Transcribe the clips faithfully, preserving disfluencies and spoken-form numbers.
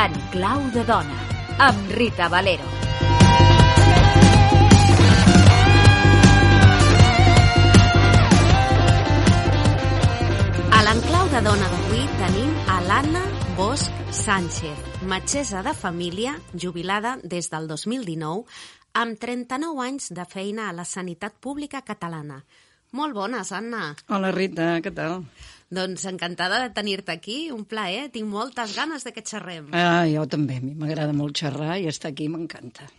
En clau de dona, amb Rita Valero. A l'enclau de dona d'avui tenim a l'Anna Bosch Sánchez, metgessa de família, jubilada des del dos mil dinou, amb trenta-nou anys de feina a la sanitat pública catalana. Molt bones, Anna. Hola, Rita, què tal? Doncs encantada de tenir-te aquí, un plaer. Tinc moltes ganes de que xerrem. Ah, jo també, a mi m'agrada molt xerrar i estar aquí m'encanta.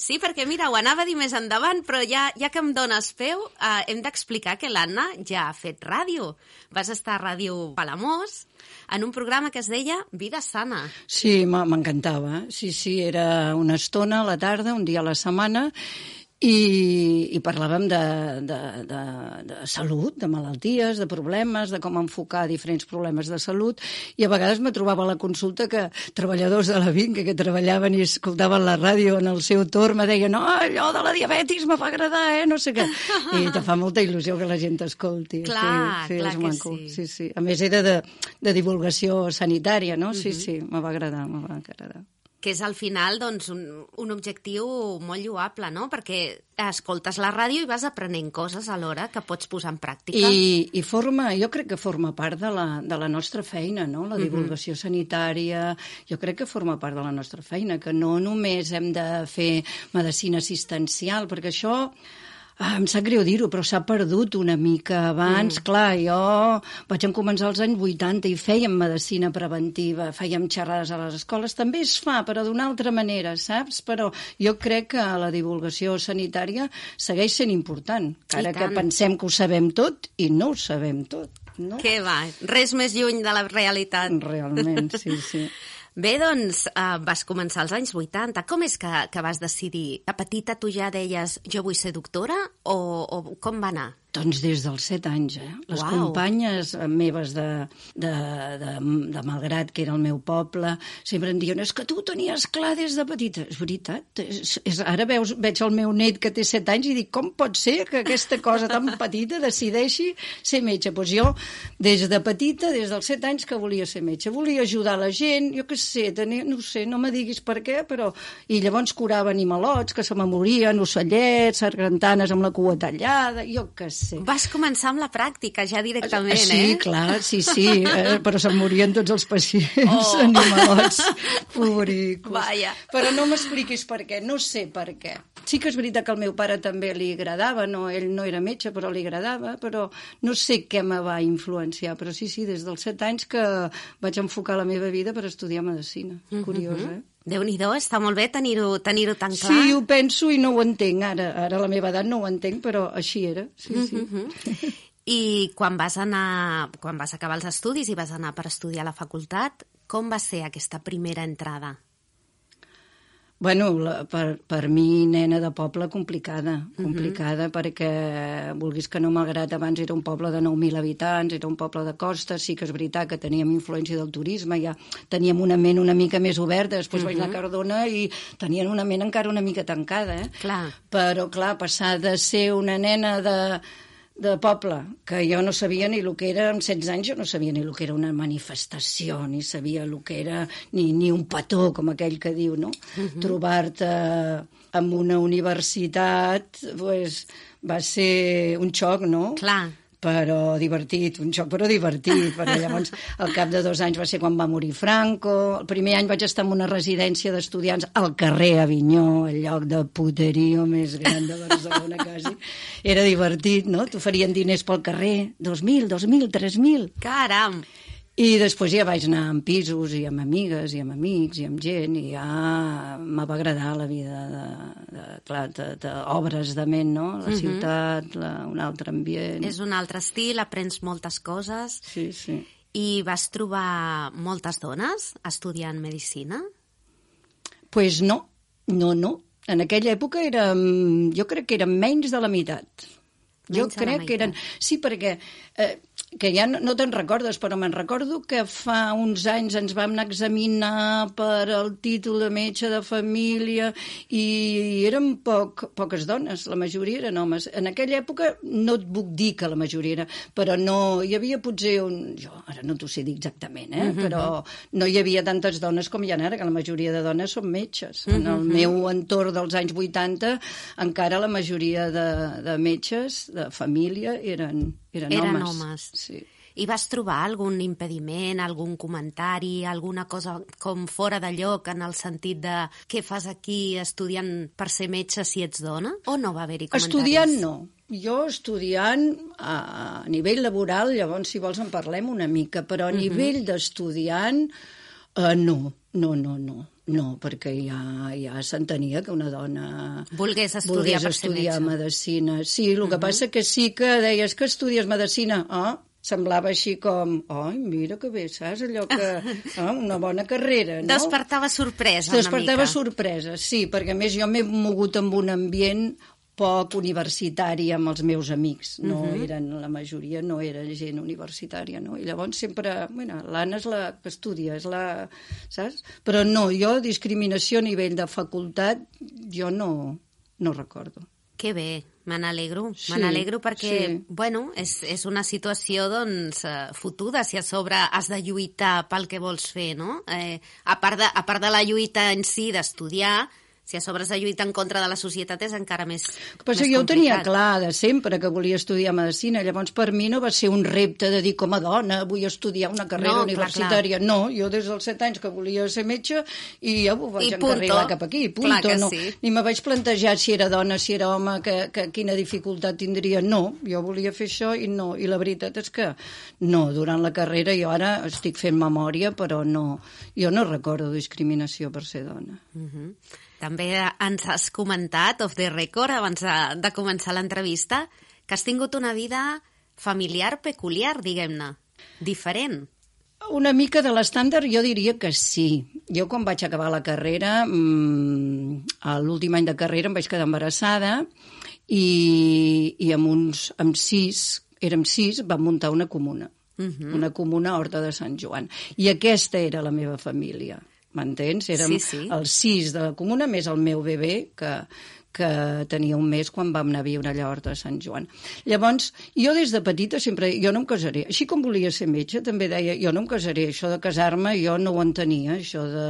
Sí, perquè mira, ho anava a dir més endavant, però ja, ja que em dones peu, eh, hem d'explicar que l'Anna ja ha fet ràdio. Vas estar a Ràdio Palamós en un programa que es deia Vida Sana. Sí, m'encantava. Sí, sí, era una estona a la tarda, un dia a la setmana, I, i parlàvem de, de, de, de salut, de malalties, de problemes, de com enfocar diferents problemes de salut, i a vegades me trobava a la consulta que treballadors de la Vinca que treballaven i escoltaven la ràdio en el seu torn me deien no, allò de la diabetis me va agradar, eh, no sé què. I te fa molta il·lusió que la gent t'escolti. Clar, sí, sí, clar és que maco. sí. Sí, sí. A més era de, de divulgació sanitària, no? Sí, Uh-huh. sí, me va agradar, me va agradar. Que és al final doncs, un, un objectiu molt lloable, no? Perquè escoltes la ràdio i vas aprenent coses alhora que pots posar en pràctica. I, i forma, jo crec que forma part de la, de la nostra feina, no? La divulgació uh-huh. sanitària, jo crec que forma part de la nostra feina, que no només hem de fer medicina assistencial, perquè això... Ah, em sap greu dir-ho, però s'ha perdut una mica. Abans, mm. clar, jo vaig començar als anys vuitanta i fèiem medicina preventiva, fèiem xerrades a les escoles. També es fa, però d'una altra manera, saps? Però jo crec que la divulgació sanitària segueix sent important, encara que pensem que ho sabem tot i no ho sabem tot. No? Què va? Res més lluny de la realitat. Realment, sí, sí. Bé, doncs, uh, vas començar als anys vuitanta. Com és que, que vas decidir? A petita tu ja deies jo vull ser doctora o, o com va anar? Doncs des dels set anys, eh? Les Uau. companyes meves de, de, de, de Malgrat, que era el meu poble, sempre em diuen, és que tu ho tenies clar des de petita. És veritat. És, és, ara veus, veig el meu net que té set anys i dic, com pot ser que aquesta cosa tan petita decideixi ser metge? Doncs jo, des de petita, des dels set anys que volia ser metge. Volia ajudar la gent, jo què sé, tenia, no sé, no me diguis per què, però... I llavors curava animalots que se me morien, ocellets, sargantanes amb la cua tallada, jo què sé. Sí. Vas començar amb la pràctica, ja directament, sí, eh? Sí, clar, sí, sí, eh, però se'n morien tots els pacients, oh. animalots, pobricos. Vaja. Però no m'expliquis per què, no sé per què. Sí que és veritat que al meu pare també li agradava, no, ell no era metge, però li agradava, però no sé què me va influenciar, però sí, sí, des dels set anys que vaig enfocar la meva vida per estudiar medicina. Mm-hmm. Curiós, eh? Déu-n'hi-do, està molt bé tenir-ho tenir-ho tan clar. Sí, ho penso i no ho entenc. Ara, ara a la meva edat no ho entenc, però així era. Sí, sí. Mm-hmm. I quan vas anar, quan vas acabar els estudis i vas anar per estudiar a la facultat, com va ser aquesta primera entrada? Bueno, la, per, per mi, nena de poble, complicada. Complicada uh-huh. perquè, vulguis que no, Malgrat abans era un poble de nou mil habitants, era un poble de costa, sí que és veritat que teníem influència del turisme, ja teníem una ment una mica més oberta, després uh-huh. vaig anar a Cardona i tenien una ment encara una mica tancada, eh? Clar. Però, clar, passar de ser una nena de... de poble, que jo no sabia ni el que era, amb setze anys jo no sabia ni el que era una manifestació, ni sabia el que era ni, ni un petó, com aquell que diu, no? Uh-huh. Trobar-te en una universitat, pues, va ser un xoc, no? Clar. Però divertit, un xoc però divertit, però llavors al cap de dos anys va ser quan va morir Franco, el primer any vaig estar en una residència d'estudiants al carrer Avinyó, el lloc de puterío més gran de Barcelona quasi, era divertit, no? T'oferien diners pel carrer, dos mil, dos mil, tres mil. Caram! I després ja vaig anar amb pisos i amb amigues i amb amics i amb gent i ja me va agradar la vida de, de, clar, de, de obres de ment, no? La Uh-huh. ciutat, la, un altre ambient. És un altre estil, aprens moltes coses. Sí, sí. I vas trobar moltes dones estudiant medicina? Pues no, no, no. En aquella època érem, jo crec que eren menys de la meitat. Jo Menys de la crec que eren... meitat. Sí, perquè eh, que ja no, no te'n recordes, però me'n recordo que fa uns anys ens vam anar a examinar per el títol de metge de família i eren poc, poques dones, la majoria eren homes. En aquella època no et puc dir que la majoria era, però no, hi havia potser un... Jo ara no t'ho sé dir exactament, eh? Uh-huh. Però no hi havia tantes dones com hi ha ara, que la majoria de dones són metges. Uh-huh. En el meu entorn dels anys vuitanta encara la majoria de, de metges de família eren, eren, eren homes. homes. Sí. I vas trobar algun impediment, algun comentari, alguna cosa com fora de lloc en el sentit de què fas aquí estudiant per ser metge si ets dona? O no va haver-hi comentaris? Estudiant no. Jo estudiant a nivell laboral, llavors si vols en parlem una mica, però a nivell uh-huh. d'estudiant uh, no, no, no, no. No, perquè ja, ja s'entenia que una dona volgués estudiar, volgués per estudiar ser metge. Medicina. Sí, el uh-huh. que passa que sí que deies que estudies Medicina. Ah, semblava així com, ai, mira que bé, saps? Allò que... Ah, una bona carrera, no? Despertava sorpresa una Despertava mica. sorpresa, sí, perquè a més jo m'he mogut en un ambient poc universitari amb els meus amics. No uh-huh. eren, la majoria no era gent universitària, no? I llavors sempre, bueno, l'Anna és la que estudia, és la... Saps? Però no, jo discriminació a nivell de facultat, jo no, no recordo. Que bé, me n'alegro. Sí, me n'alegro perquè, sí. bueno, és, és una situació, doncs, eh, fotuda, si a sobre has de lluitar pel que vols fer, no? Eh, a part de, a part de la lluita en si d'estudiar, si a sobre has de lluitar en contra de la societat és encara més, Però més jo ho tenia complicat. clar de sempre que volia estudiar Medicina, llavors per mi no va ser un repte de dir com a dona vull estudiar una carrera No, clar, universitària. Clar. No, jo des dels set anys que volia ser metge i ja ho vaig I encarrilar punto. cap aquí, punto. Clar que no. sí. Ni me vaig plantejar si era dona, si era home, que, que quina dificultat tindria. No, jo volia fer això i no. I la veritat és que no, durant la carrera jo ara estic fent memòria, però no, jo no recordo discriminació per ser dona. Uh-huh. També ens has comentat, off the record, abans de, de començar l'entrevista, que has tingut una vida familiar peculiar, diguem-ne, diferent. Una mica de l'estàndard jo diria que sí. Jo quan vaig acabar la carrera, mmm, a l'últim any de carrera em vaig quedar embarassada i, i amb uns, amb sis, érem sis, vam muntar una comuna. Uh-huh. Una comuna a Horta de Sant Joan. I aquesta era la meva família. M'entens? Érem sí, sí. els sis de la comuna, més el meu bebè, que, que tenia un mes quan vam anar a viure allà a Horta de Sant Joan. Llavors, jo des de petita sempre... Jo no em casaré. Així com volia ser metge, també deia, jo no em casaré. Això de casar-me jo no ho entenia. Això de,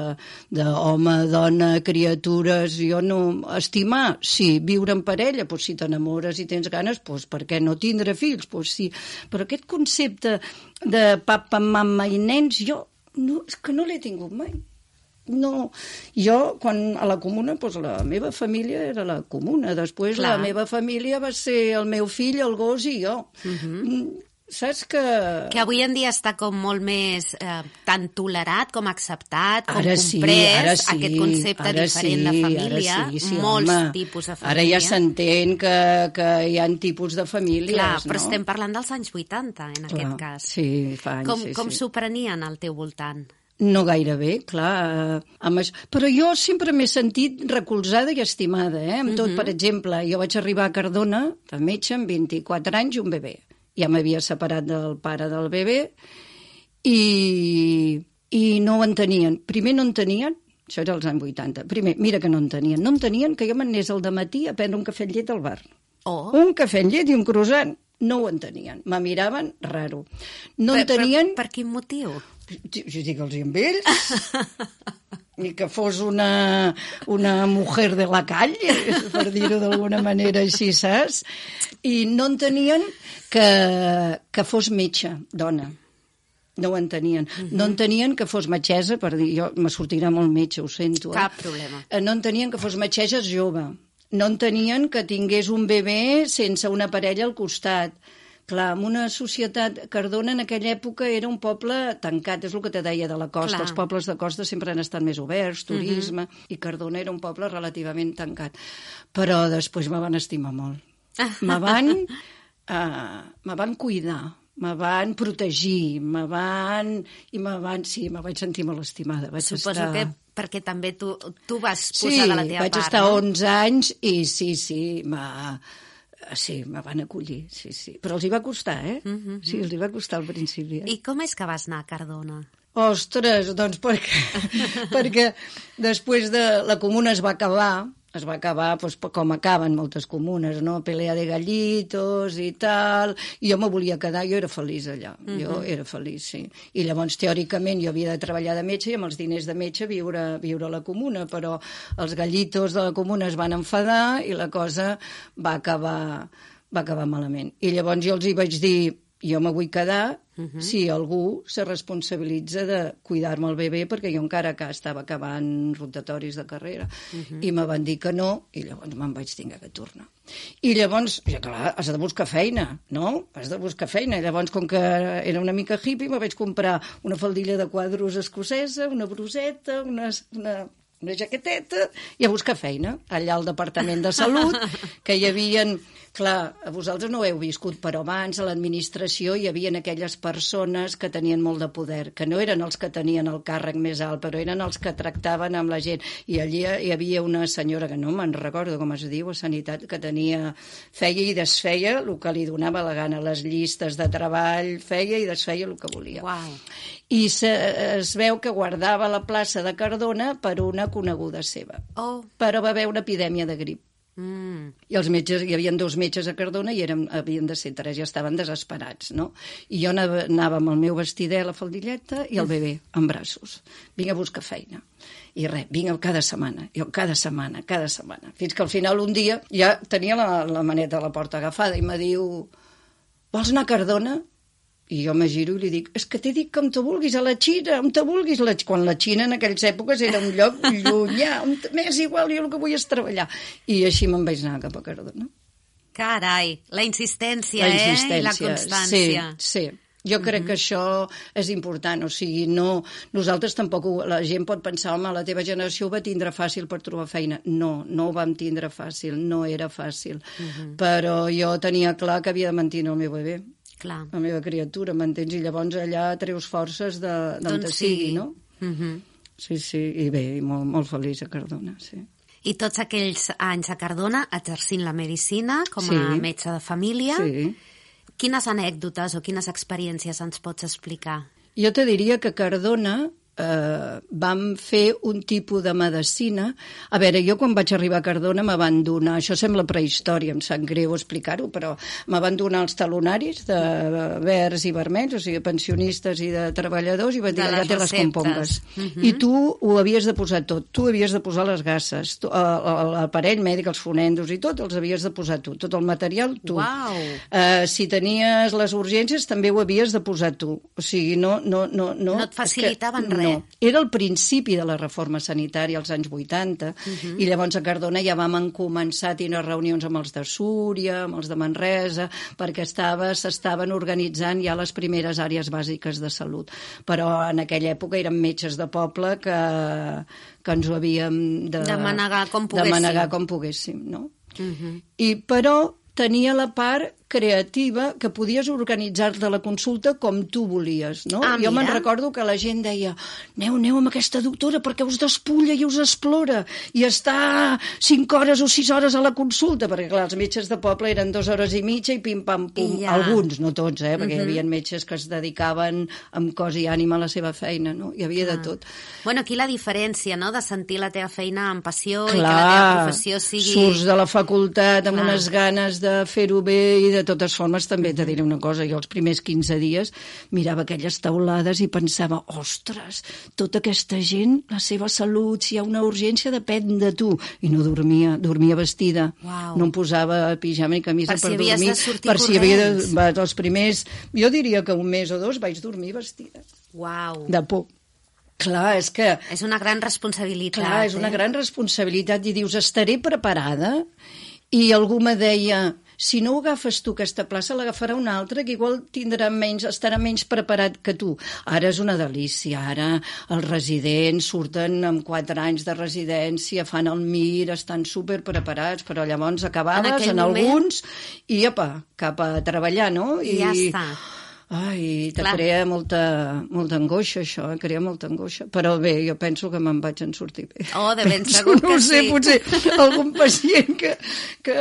de home, dona, criatures... Jo no... Estimar, sí. Viure en parella, doncs si t'enamores i tens ganes, doncs per què no tindre fills? Doncs sí. Però aquest concepte de papa, mama i nens, jo no, és que no l'he tingut mai. No, jo, quan a la comuna, doncs la meva família era la comuna. Després Clar. La meva família va ser el meu fill, el gos i jo. Uh-huh. Saps que... Que avui en dia està com molt més eh, tan tolerat com acceptat, com ara comprès, sí, ara sí, aquest concepte diferent sí, de família, sí, sí, molts home, tipus de família. Ara ja s'entén que, que hi ha tipus de famílies, Clar, no? però estem parlant dels anys vuitanta, en Clar, aquest cas. Sí, fa anys, com sí, com sí. s'ho prenien al teu voltant? No gaire bé, clar. Eh, amb això. Però jo sempre m'he sentit recolzada i estimada, eh? Amb tot, uh-huh. per exemple, jo vaig arribar a Cardona, de metge, amb vint-i-quatre anys i un bebè. Ja m'havia separat del pare del bebè i, i no ho entenien. Primer no entenien, això era als anys vuitanta, primer, mira que no entenien, no entenien que jo m'anés al dematí a prendre un cafè amb llet al bar. Oh. Un cafè amb llet i un croissant. No ho entenien, me miraven raro. No per, entenien... Per, per quin motiu? Jo dic-los amb ells, ni que fos una, una mujer de la calle, per dir-ho d'alguna manera així, saps? I no entenien que, que fos metge, dona. No ho entenien. Uh-huh. No entenien que fos metgessa, per dir, jo me sortirà molt metge, ho sento. Eh? Cap problema. No entenien que fos metgessa jove. No entenien que tingués un bebè sense una parella al costat. Clar, en una societat... Cardona en aquella època era un poble tancat, és el que te deia de la costa. Clar. Els pobles de costa sempre han estat més oberts, turisme, uh-huh. i Cardona era un poble relativament tancat. Però després me van estimar molt. Me van, uh, me van cuidar, me van protegir, me van... I me van... Sí, me vaig sentir molt estimada. Vaig Suposo estar... que perquè també tu, tu vas posar sí, de la teva part, vaig estar no? onze anys i sí, sí, m'ha... Sí, me van acollir, sí, sí. Però els hi va costar, eh? Uh -huh. Sí, els hi va costar al principi. Eh? I com és que vas anar a Cardona? Ostres, doncs perquè, perquè després de la comuna es va acabar, es va acabar doncs, com acaben moltes comunes, no? Pelea de gallitos i tal, i jo me volia quedar, jo era feliç allà, uh -huh. jo era feliç, sí. I llavors, teòricament, jo havia de treballar de metge i amb els diners de metge viure, viure a la comuna, però els gallitos de la comuna es van enfadar i la cosa va acabar, va acabar malament. I llavors jo els hi vaig dir, jo me vull quedar uh-huh. si algú se responsabilitza de cuidar-me el bebè, perquè jo encara que estava acabant rotatoris de carrera. Uh-huh. I me van dir que no, i llavors me'n vaig tenir que tornar. I llavors, ja clar, has de buscar feina, no? Has de buscar feina. I llavors, com que era una mica hippie, me vaig comprar una faldilla de quadros escocesa, una bruseta, una... una una jaqueteta, i a buscar feina, allà al Departament de Salut, que hi havia... Clar, vosaltres no ho heu viscut, però abans a l'administració hi havia aquelles persones que tenien molt de poder, que no eren els que tenien el càrrec més alt, però eren els que tractaven amb la gent. I allí hi havia una senyora, que no me'n recordo com es diu, a Sanitat, que tenia, feia i desfeia el que li donava la gana, les llistes de treball, feia i desfeia el que volia. Uau. I se, es veu que guardava la plaça de Cardona per una coneguda seva. Oh. Però va haver una epidèmia de grip. Mm. I els metges, hi havia dos metges a Cardona i eren, havien de ser tres, ja estaven desesperats, no? I jo anava, anava amb el meu vestidet, la faldilleta i el bebè en braços. Vinc a buscar feina. I res, vinc cada setmana, jo cada setmana, cada setmana. Fins que al final un dia ja tenia la, la maneta a la porta agafada i me diu, vols anar a Cardona? I jo me giro i li dic, és que t'he dit que on te vulguis, a la Xina, on te vulguis. La... Quan la Xina en aquelles èpoques era un lloc llunyà, on m'és igual, jo el que vull és treballar. I així me'n vaig anar cap a Cardona. Carai, la insistència, la insistència, eh? I la constància. Sí, sí. Jo crec uh-huh. que això és important, o sigui, no... Nosaltres tampoc, ho, la gent pot pensar, home, la teva generació ho va tindre fàcil per trobar feina. No, no ho vam tindre fàcil, no era fàcil. Uh-huh. Però jo tenia clar que havia de mantenir el meu bebè. Clar. La meva criatura, m'entens? I llavors allà treus forces d'on te sigui, no? Uh-huh. Sí, sí, i bé, i molt, molt feliç a Cardona, sí. I tots aquells anys a Cardona exercint la medicina com a sí. metge de família. Sí. Quines anècdotes o quines experiències ens pots explicar? Jo te diria que a Cardona eh, vam fer un tipus de medicina. A veure, jo quan vaig arribar a Cardona me van donar, això sembla prehistòria, em sap greu explicar-ho, però me van donar els talonaris de verds i vermells, o sigui, pensionistes i de treballadors, i van dir, ja té les compongues. Uh-huh. I tu ho havies de posar tot, tu havies de posar les gasses, l'aparell mèdic, els fonendos i tot, els havies de posar tu, tot el material tu. Uau! Eh, si tenies les urgències també ho havies de posar tu, o sigui, no... No, no, no, no et facilitaven que, res. No. Era el principi de la reforma sanitària als anys vuitanta, uh-huh. i llavors a Cardona ja vam començar a tenir reunions amb els de Súria, amb els de Manresa, perquè s'estaven organitzant ja les primeres àrees bàsiques de salut. Però en aquella època érem metges de poble que, que ens ho havíem de, de manegar com poguéssim. De manegar com poguéssim, no? Uh-huh. I, però tenia la part creativa que podies organitzar-te la consulta com tu volies, no? Ah, jo me'n mira. recordo que la gent deia, aneu, aneu amb aquesta doctora perquè us despulla i us explora i està cinc hores o sis hores a la consulta, perquè clar, els metges de poble eren dues hores i mitja i pim-pam-pum, ja. alguns, no tots, eh? Perquè uh-huh. hi havia metges que es dedicaven amb cos i ànima a la seva feina, no? Hi havia ah. de tot. Bueno, aquí la diferència, no?, de sentir la teva feina amb passió clar, i que la teva professió sigui... surts de la facultat amb clar. unes ganes de fer-ho bé i de de totes formes, també te diré una cosa, jo els primers quinze dies mirava aquelles taulades i pensava, ostres, tota aquesta gent, la seva salut, si hi ha una urgència, depèn de tu. I no dormia, dormia vestida. Wow. No em posava pijama ni camisa per, per si dormir. Per si havia de sortir corrents. Els primers, jo diria que un mes o dos vaig dormir vestida. Wow. De por. Clar, és que... És una gran responsabilitat. Clar, és una eh? gran responsabilitat i dius, estaré preparada? I algú me deia... Si no ho agafes tu, aquesta plaça, l'agafarà un altre que igual tindrà menys, estarà menys preparat que tu. Ara és una delícia, ara els residents surten amb quatre anys de residència, fan el M I R, estan superpreparats, però llavors acabaves en, en moment... alguns i, apa, cap a treballar, no? I ja està. ai, te Clar. crea molta, molta angoixa, això, eh? Crea molta angoixa. Però bé, jo penso que me'n vaig en sortir bé. Oh, de ben penso, segur que no ho sé, sí. potser algun pacient que... que...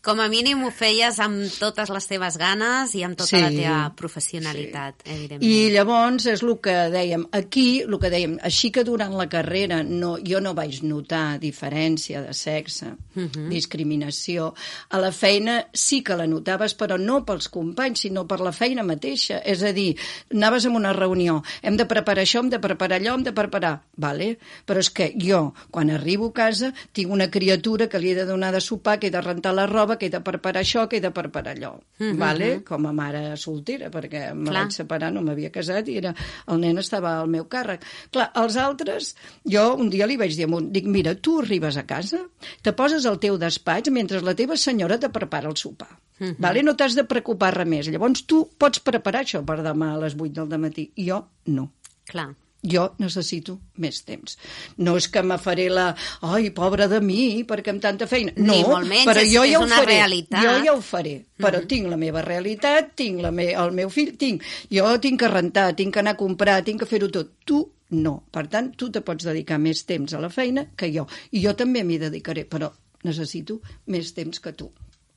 Com a mínim ho feies amb totes les teves ganes i amb tota Sí, la teva professionalitat, sí. evidentment. I llavors és el que dèiem, aquí, el que dèiem, així que durant la carrera no, jo no vaig notar diferència de sexe, uh -huh. discriminació, a la feina sí que la notaves, però no pels companys, sinó per la feina mateixa. És a dir, anaves a una reunió, hem de preparar això, hem de preparar allò, hem de preparar... Vale? Però és que jo, quan arribo a casa, tinc una criatura que li he de donar de sopar, que he de rentar la roba, que he de preparar això, que he de preparar allò. Uh -huh. Vale? Com a mare soltera, perquè me Clar. vaig separar, no m'havia casat i era, el nen estava al meu càrrec. Clar, els altres, jo un dia li vaig dir, dic, mira, tu arribes a casa, te poses al teu despatx mentre la teva senyora te prepara el sopar. Uh -huh. Vale? No t'has de preocupar res més. Llavors tu pots preparar això per demà a les vuit del matí. Jo no. Clar. Jo necessito més temps. No és que me faré la... Ai, pobra de mi, perquè amb tanta feina... No, Ni molt menys, però és, jo és ja ho una faré. realitat. Jo ja ho faré, però Uh-huh. tinc la meva realitat, tinc la me... el meu fill, tinc... Jo tinc que rentar, tinc que anar a comprar, tinc que fer-ho tot. Tu no. Per tant, tu te pots dedicar més temps a la feina que jo. I jo també m'hi dedicaré, però necessito més temps que tu.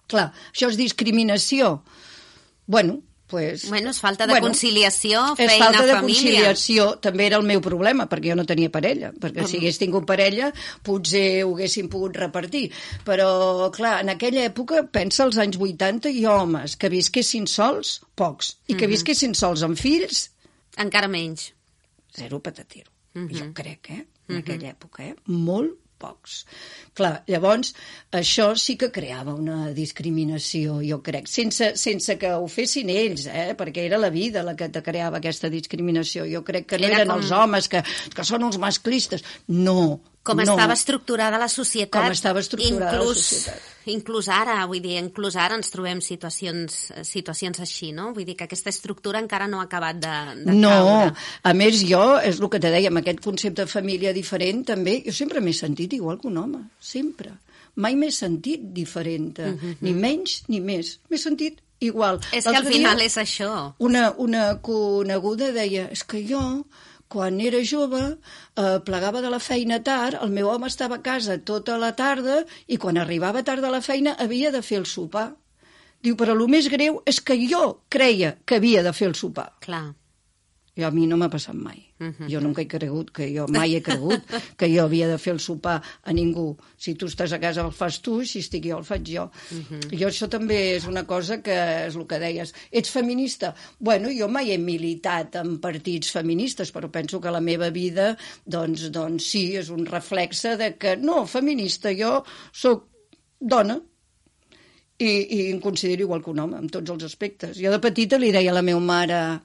Clar, això és discriminació. Bueno, pues, Bueno, és falta de bueno, conciliació, és feina, falta de família. conciliació. També era el meu problema, perquè jo no tenia parella. Perquè Uh-huh. si hagués tingut parella, potser ho haguéssim pogut repartir. Però, clar, en aquella època, pensa als anys vuitanta, i homes que visquessin sols, pocs. I que Uh-huh. visquessin sols amb fills, Encara menys. zero patatero. Uh-huh. Jo crec, eh? En aquella època, eh? Molt pocs. Clar, llavors, això sí que creava una discriminació, jo crec, sense, sense que ho fessin ells, eh? Perquè era la vida la que te creava aquesta discriminació. Jo crec que no Era eren com- els homes que, que són uns masclistes. No. Com no. estava estructurada la societat. Com estava estructurada inclús, la societat. Inclús ara, vull dir, inclús ara ens trobem situacions, situacions així, no? Vull dir que aquesta estructura encara no ha acabat de, de No, caure. a més jo, és el que te deia, amb aquest concepte de família diferent, també, jo sempre m'he sentit igual que un home, sempre. Mai m'he sentit diferent, uh -huh. ni menys ni més. M'he sentit igual. És que al L'altre final dia, és això. Una, una coneguda deia, és que jo, quan era jove, eh, plegava de la feina tard, el meu home estava a casa tota la tarda i quan arribava tard de la feina havia de fer el sopar. Diu, però el més greu és que jo creia que havia de fer el sopar. Clar. I a mi no m'ha passat mai. Uh -huh. Jo nunca he cregut, que jo mai he cregut que jo havia de fer el sopar a ningú. Si tu estàs a casa el fas tu, si estic jo el faig jo. Uh -huh. Jo això també és una cosa que és el que deies. Ets feminista? Bueno, jo mai he militat en partits feministes, però penso que la meva vida, doncs, doncs sí, és un reflexe de que no, feminista, jo sóc dona, i, i em considero igual que un home, en tots els aspectes. Jo de petita li deia a la meva mare,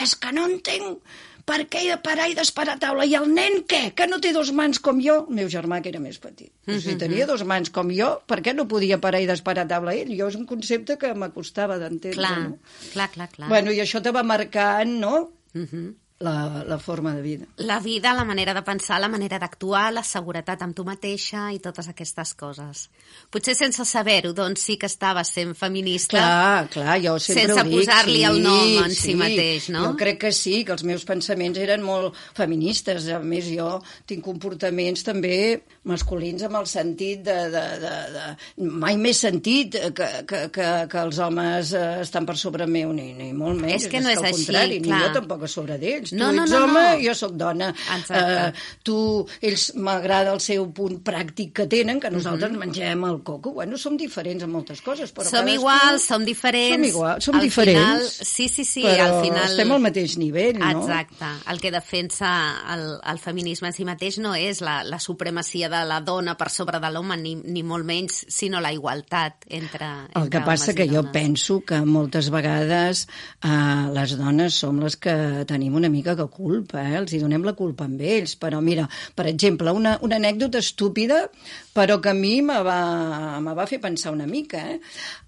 és que no entenc per què he de parar i d'esperar a taula. I el nen què? Que no té dos mans com jo? El meu germà, que era més petit. Però si tenia dos mans com jo, per què no podia parar i d'esperar a taula ell? Jo és un concepte que m'acostava d'entendre. Clar, no? clar, clar, clar. Bueno, i això te va marcant, no?, Uh -huh. la, la forma de vida. La vida, la manera de pensar, la manera d'actuar, la seguretat amb tu mateixa i totes aquestes coses. Potser sense saber-ho, doncs sí que estaves sent feminista. Clar, clar, jo sempre Sense ho dic. posar-li sí, el nom en sí, si mateix, no? Jo crec que sí, que els meus pensaments eren molt feministes. A més, jo tinc comportaments també masculins amb el sentit de... de, de, de... Mai m'he sentit que, que, que, que els homes estan per sobre meu, ni, ni molt menys. És que no és al així, contrari, clar. Ni jo tampoc a sobre d'ells. No, tu no, ets no, home, no. jo sóc dona. Exacte. Uh, tu, ells m'agrada el seu punt pràctic que tenen, que nosaltres uh-huh. mengem el coco. Bueno, som diferents en moltes coses, però som cadascú... iguals, som diferents. Som iguals, som al diferents. Final, sí, sí, sí, però al final... estem al mateix nivell, no? Exacte. El que defensa el, el feminisme en si mateix no és la, la supremacia de la dona per sobre de l'home, ni, ni molt menys, sinó la igualtat entre, entre El que passa homes que i jo dones. penso que moltes vegades eh, les dones som les que tenim una mica de culpa, eh? Els hi donem la culpa amb ells. Però mira, per exemple, una, una anècdota estúpida, però que a mi me va, me va fer pensar una mica. Eh?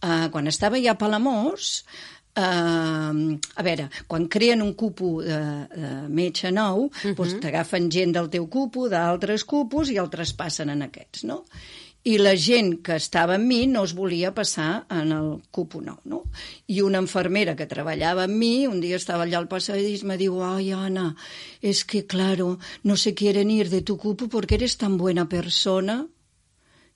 Uh, quan estava ja a Palamós, Uh, a veure, quan creen un cupo de, de metge nou, uh-huh. doncs t'agafen gent del teu cupo, d'altres cupos, i el traspassen en aquests, no? i la gent que estava amb mi no es volia passar en el cupo nou, no? I una infermera que treballava amb mi, un dia estava allà al passadís, me diu, ay, Ana, es que, claro, no se quieren ir de tu cupo porque eres tan buena persona.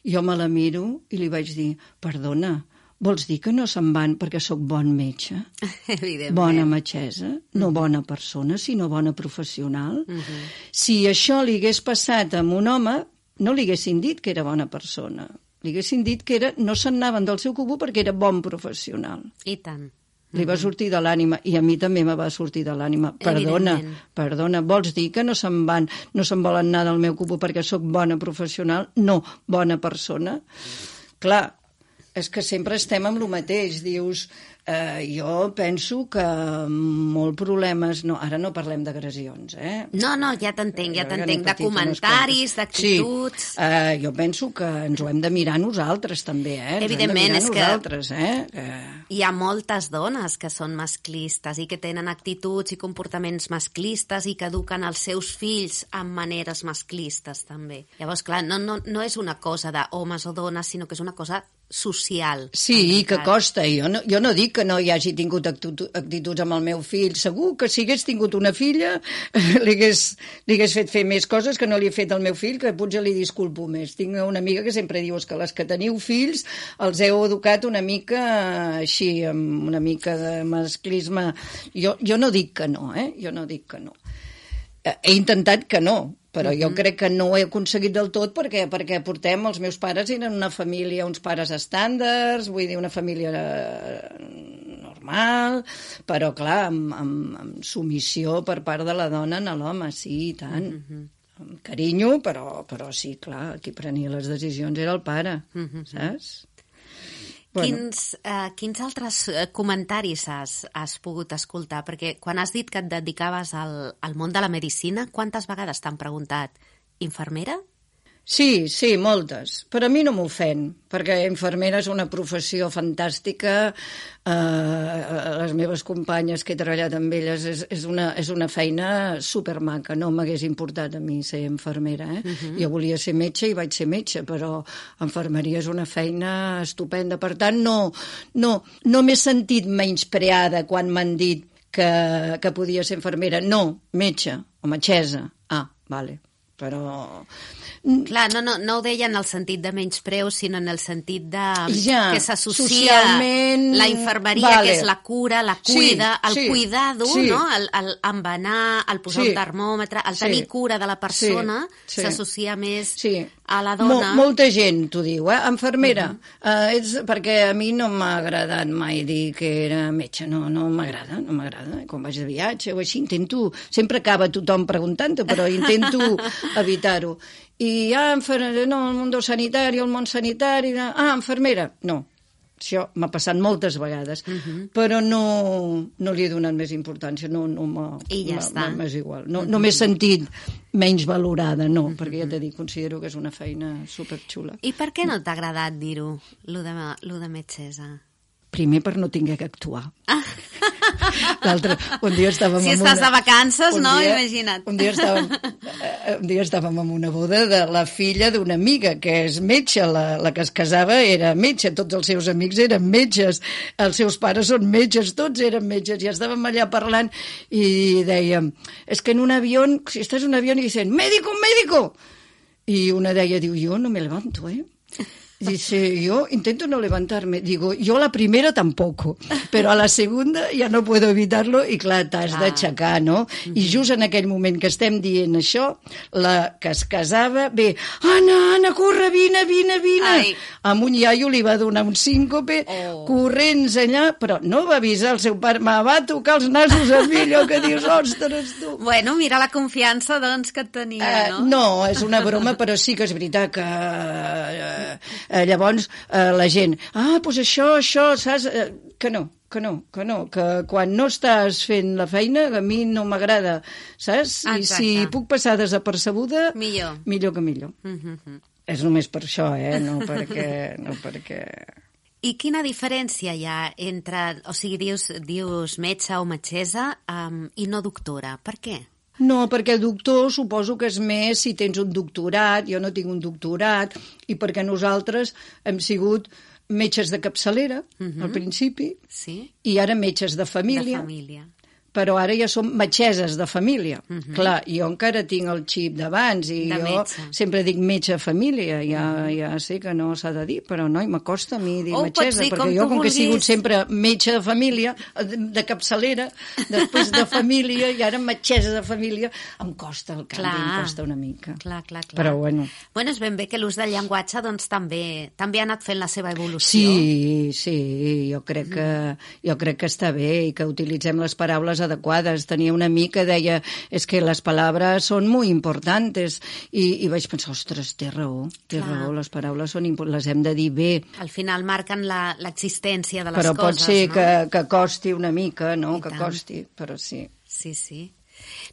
Jo me la miro i li vaig dir, perdona, vols dir que no se'n van perquè sóc bon metge? Evidentment. Bona metgessa, no mm. bona persona, sinó bona professional. Mm -hmm. Si això li hagués passat amb un home, no li haguessin dit que era bona persona. Li haguessin dit que era, no se'n anaven del seu cubo perquè era bon professional. I tant. Li va sortir de l'ànima, i a mi també me va sortir de l'ànima. Perdona, perdona, vols dir que no se'n van, no se'n volen anar del meu cubo perquè sóc bona professional? No, bona persona. Clar, és que sempre estem amb el mateix, dius... Uh, jo penso que molt problemes... No, ara no parlem d'agressions, eh? No, no, ja t'entenc, ja t'entenc. De comentaris, d'actituds... Sí, uh, jo penso que ens ho hem de mirar nosaltres, també, eh? Ens Evidentment, és que eh? uh... hi ha moltes dones que són masclistes i que tenen actituds i comportaments masclistes i que eduquen els seus fills amb maneres masclistes, també. Llavors, clar, no, no, no és una cosa d'homes o dones, sinó que és una cosa social. Sí, i que costa. Jo no, jo no dic que no hi hagi tingut actituds amb el meu fill. Segur que si hagués tingut una filla li hagués, li hagués fet fer més coses que no li he fet al meu fill, que potser li disculpo més. Tinc una amiga que sempre diu que les que teniu fills els heu educat una mica així, amb una mica de masclisme. Jo, jo no dic que no, eh? Jo no dic que no. He intentat que no, però uh-huh. jo crec que no ho he aconseguit del tot perquè perquè portem, els meus pares eren una família, uns pares estàndards, vull dir, una família normal, però clar, amb, amb, amb submissió per part de la dona a l'home, sí, i tant. Uh-huh. Amb carinyo, però, però sí, clar, qui prenia les decisions era el pare, uh-huh. saps? Bueno. Quins, uh, quins altres comentaris has, has pogut escoltar? Perquè quan has dit que et dedicaves al, al món de la medicina, quantes vegades t'han preguntat infermera? Sí, sí, moltes. Però a mi no m'ofèn, perquè infermera és una professió fantàstica. Uh, les meves companyes que he treballat amb elles és, és, una, és una feina supermaca. No m'hagués importat a mi ser infermera. Eh? Uh-huh. Jo volia ser metge i vaig ser metge, però infermeria és una feina estupenda. Per tant, no, no, no m'he sentit menyspreada quan m'han dit que, que podia ser infermera. No, metge o metgessa. Ah, vale, però... Clar, no, no, no ho deia en el sentit de menyspreu, sinó en el sentit de ja, que s'associa la infermeria, vale. Que és la cura, la cuida, sí, el sí, cuidado, sí. no? el, el embenar, el posar sí, un termòmetre, el tenir sí, cura de la persona, sí, sí. s'associa més sí. a la dona. Mol, molta gent t'ho diu, eh? Infermera, uh-huh. uh, és perquè a mi no m'ha agradat mai dir que era metge, no, no m'agrada, no m'agrada. Quan vaig de viatge o així, intento, sempre acaba tothom preguntant-ho, però intento evitar-ho. I, ah, infermera, no, el món sanitari, el món sanitari, ah, infermera, no. Això m'ha passat moltes vegades, uh-huh. però no, no li he donat més importància, no, no m'ha... I ja està. M'és igual. No, uh-huh. no m'he sentit menys valorada, no, uh-huh. perquè ja t'he dit, considero que és una feina superxula. I per què no t'ha agradat dir-ho, lo de, lo de metgessa? Primer per no tinguer que actuar. L'altre, un dia estàvem si amb estàs una... de vacances, no? Dia, Imagina't. Un dia, estàvem, un dia estàvem en una boda de la filla d'una amiga, que és metge, la, la que es casava era metge, tots els seus amics eren metges, els seus pares són metges, tots eren metges, i estàvem allà parlant i dèiem, és que en un avió, si estàs en un avió i dicen, médico, médico! I una deia, diu, jo no me levanto, eh? Dice, yo intento no levantarme. Digo, yo la primera tampoco, pero a la segunda ya no puedo evitarlo i clar, t'has ah. d'aixecar, no? Mm-hmm. I just en aquell moment que estem dient això, la que es casava, bé, Anna, Anna, corre, vine, vine, vine. Ai. Amb un iaio li va donar un síncope, oh. corrents allà, però no va avisar el seu pare, me va tocar els nasos a mi, allò que dius, ostres, tu. Bueno, mira la confiança, doncs, que et tenia, no? Uh, no, és una broma, però sí que és veritat que... Uh, Eh, llavors eh, la gent, ah, doncs això, això, saps? Eh, que no, que no, que no, que quan no estàs fent la feina, a mi no m'agrada, saps? Exacte. I si puc passar desapercebuda, millor, millor que millor. Mm-hmm. És només per això, eh? No perquè... No perquè... I quina diferència hi ha entre, o sigui, dius, dius metge o metgessa um, i no doctora? Per què? No, perquè doctor suposo que és més si tens un doctorat, jo no tinc un doctorat, i perquè nosaltres hem sigut metges de capçalera, uh-huh. al principi, sí? i ara metges de família. De família. Però ara ja som metgesses de família. Uh-huh. Clar, jo encara tinc el xip d'abans i de jo metge. sempre dic metge de família, ja, uh-huh. ja sé que no s'ha de dir, però no, m'acosta a mi dir oh, metgessa, dir perquè com jo, com vulguis. que he sigut sempre metge de família, de, de capçalera, després de família, i ara metgessa de família, em costa el canvi, clar. Em costa una mica. Clar, clar, clar. Però bueno. Bueno, és ben bé que l'ús del llenguatge doncs, també, també ha anat fent la seva evolució. Sí, sí, jo crec, que, jo crec que està bé i que utilitzem les paraules adequades. Tenia un amic que deia és que les paraules són molt importants i, i vaig pensar, ostres, té raó, té Clar. raó, les paraules són importants, les hem de dir bé. Al final marquen l'existència de les però coses, no? Però pot ser no? que, que costi una mica, no? I que tant. costi, però sí. Sí, sí.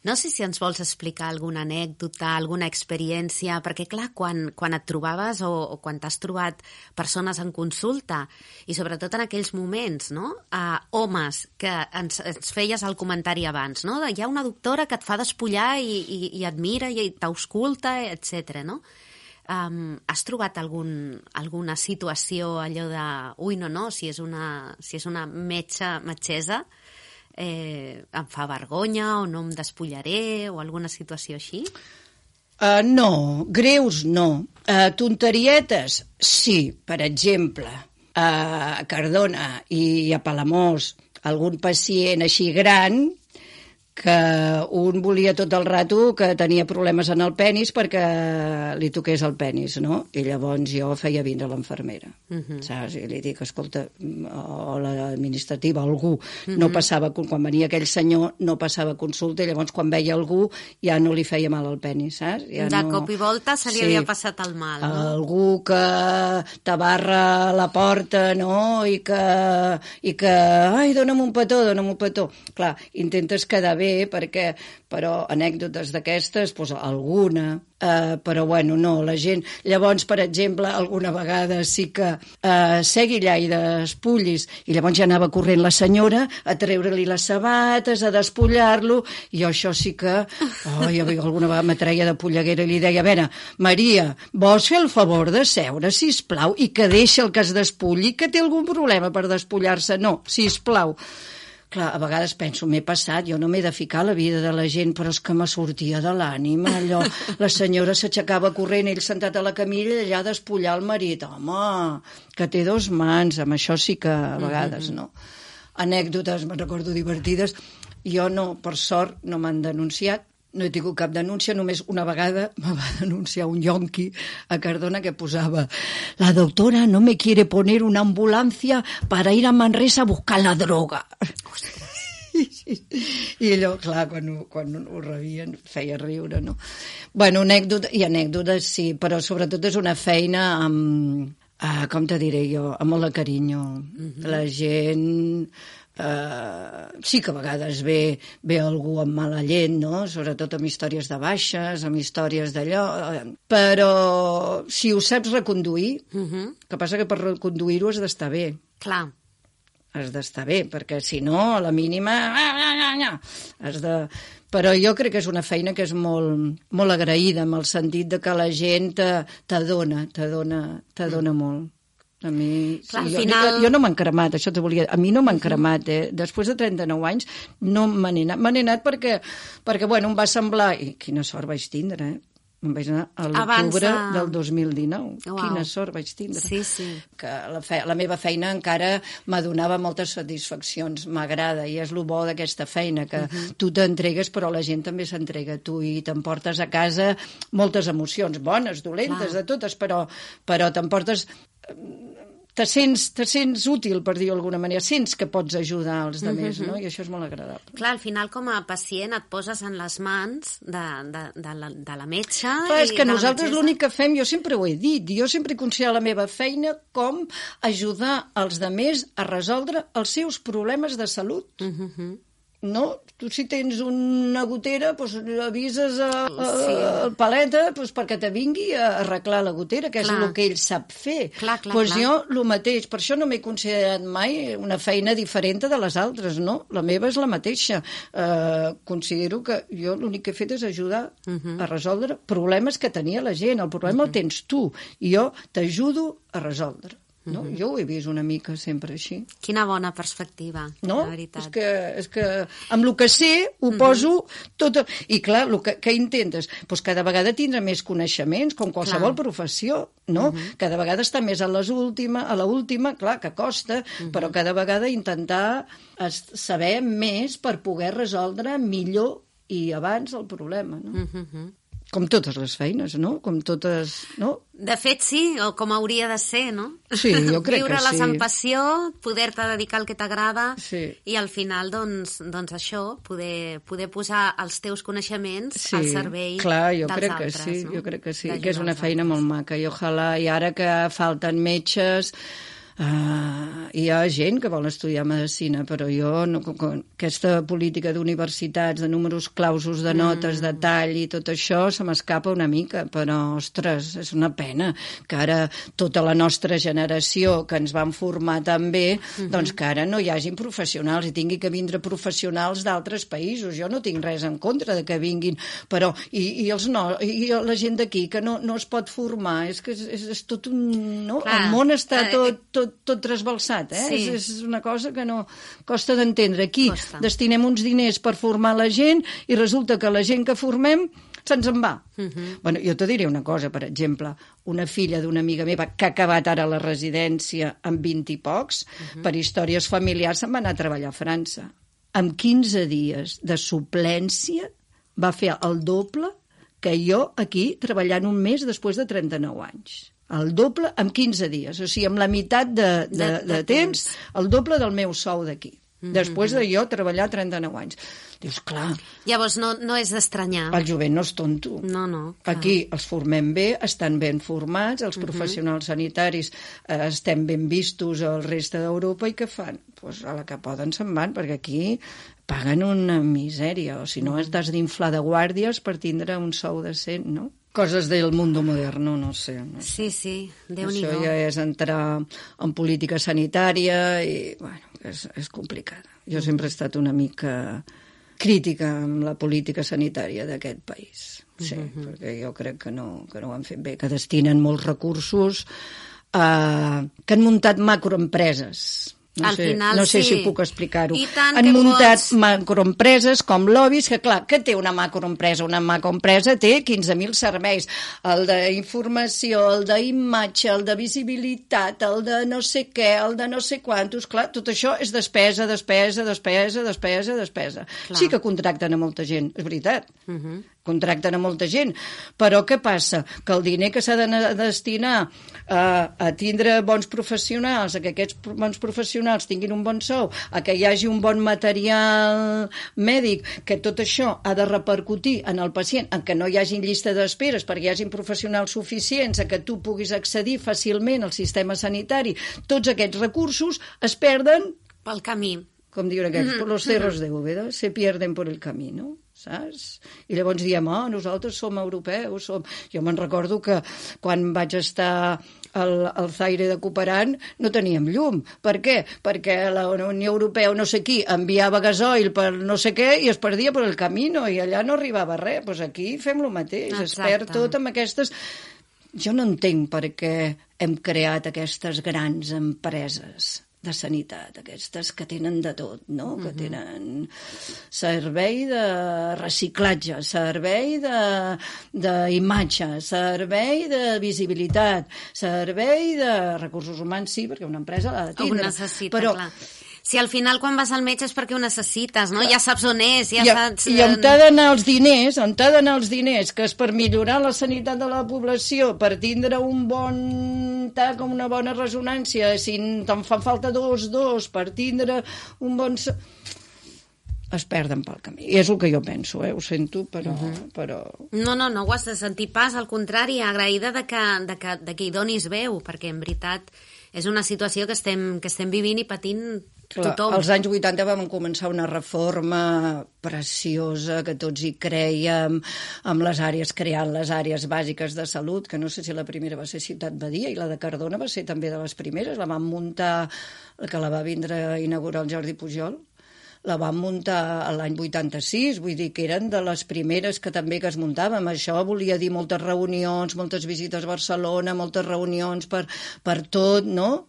No sé si ens vols explicar alguna anècdota, alguna experiència, perquè clar, quan, quan et trobaves o, o quan t'has trobat persones en consulta, i sobretot en aquells moments, no? Uh, homes, que ens, ens feies el comentari abans, no? Hi ha una doctora que et fa despullar i, i, i et mira i t'ausculta, etcètera, no? Um, has trobat algun, alguna situació allò de ui, no, no, si és una, si és una metge, metgessa, Eh, em fa vergonya o no em despullaré o alguna situació així? Uh, no, greus no. Uh, tonterietes, sí. Per exemple, a Cardona i a Palamós, algun pacient així gran que un volia tot el rato que tenia problemes en el penis perquè li toqués el penis, no? I llavors jo feia vindre l'infermera, uh-huh. saps? I li dic, escolta, o l'administrativa, algú, uh-huh. no passava, quan venia aquell senyor, no passava consulta, i llavors quan veia algú ja no li feia mal al penis, saps? Ja de no... cop i volta se li sí. havia passat el mal, no? Algú que t'abarra la porta, no? I que, i que ai, dona'm un petó, dona'm un petó. Clar, intentes quedar bé, perquè, però anècdotes d'aquestes, doncs alguna, eh, però bueno, no, la gent... Llavors, per exemple, alguna vegada sí que eh, segui allà i despullis, i llavors ja anava corrent la senyora a treure-li les sabates, a despullar-lo, i jo això sí que... Oh, ja alguna vegada m'atreia de polleguera i li deia, a veure, Maria, vols fer el favor de seure, sisplau, i que deixa el que es despulli, que té algun problema per despullar-se? No, sisplau. Clar, a vegades penso, m'he passat, jo no m'he de ficar a la vida de la gent, però és que me sortia de l'ànima, allò. La senyora s'aixecava corrent, ell sentat a la camilla, allà a despullar el marit. Home, que té dos mans, amb això sí que a vegades, no? Anècdotes, me'n recordo, divertides. Jo no, per sort, no m'han denunciat, no he tingut cap denúncia, només una vegada me va denunciar un yonqui a Cardona que posava la doctora no me quiere poner una ambulancia para ir a Manresa a buscar la droga. I allò, clar, quan ho, quan ho rebien feia riure, no? Bueno, anècdota, i anècdotes sí, però sobretot és una feina amb, ah, com te diré jo, amb molt de carinyo. Mm-hmm. La gent... Uh, sí que a vegades ve, ve algú amb mala llet, no? Sobretot amb històries de baixes, amb històries d'allò, uh, però si ho saps reconduir, uh-huh. que passa que per reconduir-ho has d'estar bé. Clar. Has d'estar bé, perquè si no, a la mínima... Has de... Però jo crec que és una feina que és molt, molt agraïda, amb el sentit de que la gent t'adona, t'adona, t'adona mm. molt. A mi, Clar, sí, jo, final... jo, jo no m'han cremat, això te volia... A mi no m'han cremat, eh? Després de trenta-nou anys no me n'he anat. Me n'he anat perquè, perquè, bueno, em va semblar... I quina sort vaig tindre, eh? Em vaig anar a l'octubre de... del dos mil dinou. Wow. Quina sort vaig tindre. Sí, sí. Que la, fe... la meva feina encara m'adonava moltes satisfaccions. M'agrada, i és el bo d'aquesta feina, que uh-huh. tu t'entregues, però la gent també s'entrega a tu i t'emportes a casa moltes emocions, bones, dolentes, Clar. de totes, però, però t'emportes... Te sents, te sents útil, per dir-ho d'alguna manera, sents que pots ajudar els altres, mm-hmm. no? I això és molt agradable. Clar, al final, com a pacient, et poses en les mans de, de, de, la, de la metge... Clar, és que nosaltres metgessa... l'únic que fem, jo sempre ho he dit, jo sempre he considerat la meva feina com ajudar els altres a resoldre els seus problemes de salut. Mm-hmm. no? Tu si tens una gotera, doncs avises a, a, sí. al paleta doncs perquè te vingui a arreglar la gotera, que clar. És el que ell sap fer. Clar, clar, doncs clar. jo el mateix, per això no m'he considerat mai una feina diferent de les altres, no? La meva és la mateixa. Uh, considero que jo l'únic que he fet és ajudar uh-huh. a resoldre problemes que tenia la gent. El problema uh-huh. el tens tu, i jo t'ajudo a resoldre. No? Uh-huh. Jo ho he vist una mica sempre així. Quina bona perspectiva, no? la veritat. És que, és que amb el que sé ho uh-huh. poso tot... I clar, el que, que intentes? Pues cada vegada tindre més coneixements, com qualsevol clar. Professió, no? Uh-huh. Cada vegada està més a les última, a l'última, clar, que costa, uh-huh. però cada vegada intentar saber més per poder resoldre millor i abans el problema, no? Uh-huh. Com totes les feines, no? Com totes... no? De fet, sí, o com hauria de ser, no? Sí, jo crec que sí. Viure-les amb passió, poder-te dedicar al que t'agrada sí. i al final, doncs, doncs això, poder, poder posar els teus coneixements sí. al servei clar, jo dels crec altres. Que sí, no? Jo crec que sí, que és una feina molt maca i ojalà, i ara que falten metges... Uh, hi ha gent que vol estudiar medicina, però jo no, aquesta política d'universitats, de números clausos, de notes, mm. de tall i tot això se m'escapa una mica, però ostres, és una pena que ara tota la nostra generació que ens van formar tan bé, mm-hmm. doncs que ara no hi hagin professionals i tingui que vindre professionals d'altres països. Jo no tinc res en contra de que vinguin, però i, i, els no, i la gent d'aquí que no, no es pot formar, és que és, és, és tot un... No? Clar. El món està tot, tot tot trasbalsat, eh? Sí. És, és una cosa que no costa d'entendre. Aquí costa. Destinem uns diners per formar la gent i resulta que la gent que formem se'ns en va. Uh-huh. Bueno, jo te diré una cosa, per exemple, una filla d'una amiga meva que ha acabat ara la residència amb vint i pocs, uh-huh. per històries familiars se'n va anar a treballar a França. Amb quinze dies de suplència va fer el doble que jo aquí treballant un mes després de trenta-nou anys. El doble en quinze dies, o sigui, amb la meitat de, de, de, de, de temps, el doble del meu sou d'aquí. Mm-hmm. Després de jo treballar trenta-nou anys. Dius, clar... Llavors no, no és d'estranyar. El jovent no és tonto. No, no. Clar. Aquí els formem bé, estan ben formats, els mm-hmm. professionals sanitaris eh, estem ben vistos al reste d'Europa i què fan? Pues a la que poden se'n van, perquè aquí paguen una misèria, o si no has d'inflar de guàrdies per tindre un sou decent, no? Coses del mundo moderno, no sé. No sé. Sí, sí, Déu-n'hi-do. Això ja és entrar en política sanitària i, bueno, és, és complicada. Jo sempre he estat una mica crítica amb la política sanitària d'aquest país. Sí, uh-huh. perquè jo crec que no, que no ho han fet bé, que destinen molts recursos, eh, que han muntat macroempreses. No Al sé, final, no sé sí. si puc explicar-ho. Han muntat pots... macroempreses com lobbies, que clar, que té una macroempresa? Una macroempresa té quinze mil serveis, el d'informació, el d'imatge, el de visibilitat, el de no sé què, el de no sé quantos, clar, tot això és despesa, despesa, despesa, despesa, despesa. Clar. Sí que contracten a molta gent, és veritat. Uh-huh. Contracten a molta gent, però què passa? Que el diner que s'ha de destinar a, a tindre bons professionals, a que aquests bons professionals tinguin un bon sou, a que hi hagi un bon material mèdic, que tot això ha de repercutir en el pacient, en que no hi hagin llista d'esperes perquè hi hagin professionals suficients, a que tu puguis accedir fàcilment al sistema sanitari, tots aquests recursos es perden pel camí. Com diuen aquests, mm-hmm. los cerros de Úbeda se pierden por el camí, no? Saps? I llavors diem, oh, nosaltres som europeus, som... Jo me'n recordo que quan vaig estar al, al Zaire de Cooperant no teníem llum. Per què? Perquè la Unió Europea, no sé qui, enviava gasoil per no sé què i es perdia per el camí i allà no arribava res. Doncs pues aquí fem el mateix, exacte. Es perd tot amb aquestes... Jo no entenc per què hem creat aquestes grans empreses de sanitat, aquestes que tenen de tot, no? Uh-huh. Que tenen servei de reciclatge, servei d'imatge, servei de visibilitat, servei de recursos humans, sí, perquè una empresa l'ha de tindre. Ho necessita, però... clar. Si al final quan vas al metge és perquè ho necessites, no? Ja saps on és, ja I, saps... I on t'ha d'anar els diners, on t'ha d'anar els diners, que és per millorar la sanitat de la població, per tindre un bon tac, una bona resonància, si te'n fan falta dos, dos, per tindre un bon... es perden pel camí. I és el que jo penso, eh? Ho sento, però... Uh-huh. però... No, no, no ho has de sentir pas, al contrari, agraïda de que, de que, de que hi donis veu, perquè en veritat és una situació que estem, que estem vivint i patint Clar, tothom. als anys vuitanta vam començar una reforma preciosa, que tots hi creiem, amb les àrees, creant les àrees bàsiques de salut, que no sé si la primera va ser Ciutat Badia, i la de Cardona va ser també de les primeres, la vam muntar, que la va vindre a inaugurar el Jordi Pujol, la vam muntar l'any vuitanta-sis, vull dir que eren de les primeres que també que es muntàvem. Això volia dir moltes reunions, moltes visites a Barcelona, moltes reunions per, per tot, no?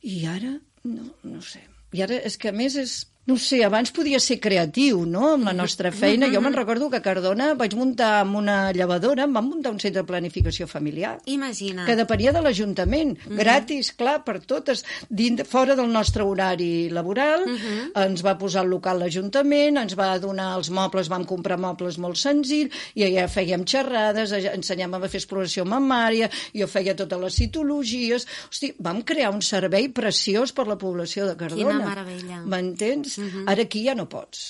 I ara, no, no sé. I ara és que a més és... No sé, abans podia ser creatiu, no?, amb la nostra feina. Jo me'n recordo que a Cardona vaig muntar amb una llevadora, em van muntar un centre de planificació familiar. Imagina. Que depenia de l'Ajuntament, uh-huh. gratis, clar, per totes, dins, fora del nostre horari laboral. Uh-huh. Ens va posar el local l'Ajuntament, ens va donar els mobles, vam comprar mobles molt senzills, i allà fèiem xerrades, ensenyàvem a fer exploració mamària, jo feia totes les citologies. Hosti, vam crear un servei preciós per la població de Cardona. Quina meravella. M'entens? Uh-huh. Ara aquí ja no pots.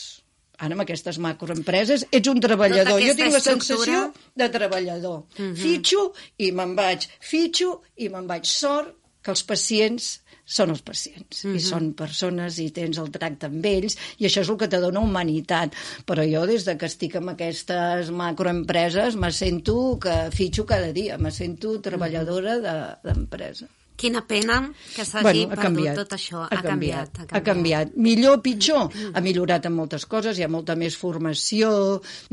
Ara amb aquestes macroempreses ets un treballador. Jo tinc la sensació de treballador. Uh-huh. Fitxo i me'n vaig. Fitxo i me'n vaig. Sort que els pacients són els pacients. Uh-huh. I són persones i tens el tracte amb ells i això és el que te dona humanitat. Però jo des de que estic amb aquestes macroempreses me sento que fitxo cada dia. Me sento treballadora de, d'empresa. Quina pena que s'hagi bueno, perdut canviat, tot això. Ha, ha, canviat, canviat, ha canviat. Millor o pitjor? Ha millorat en moltes coses, hi ha molta més formació,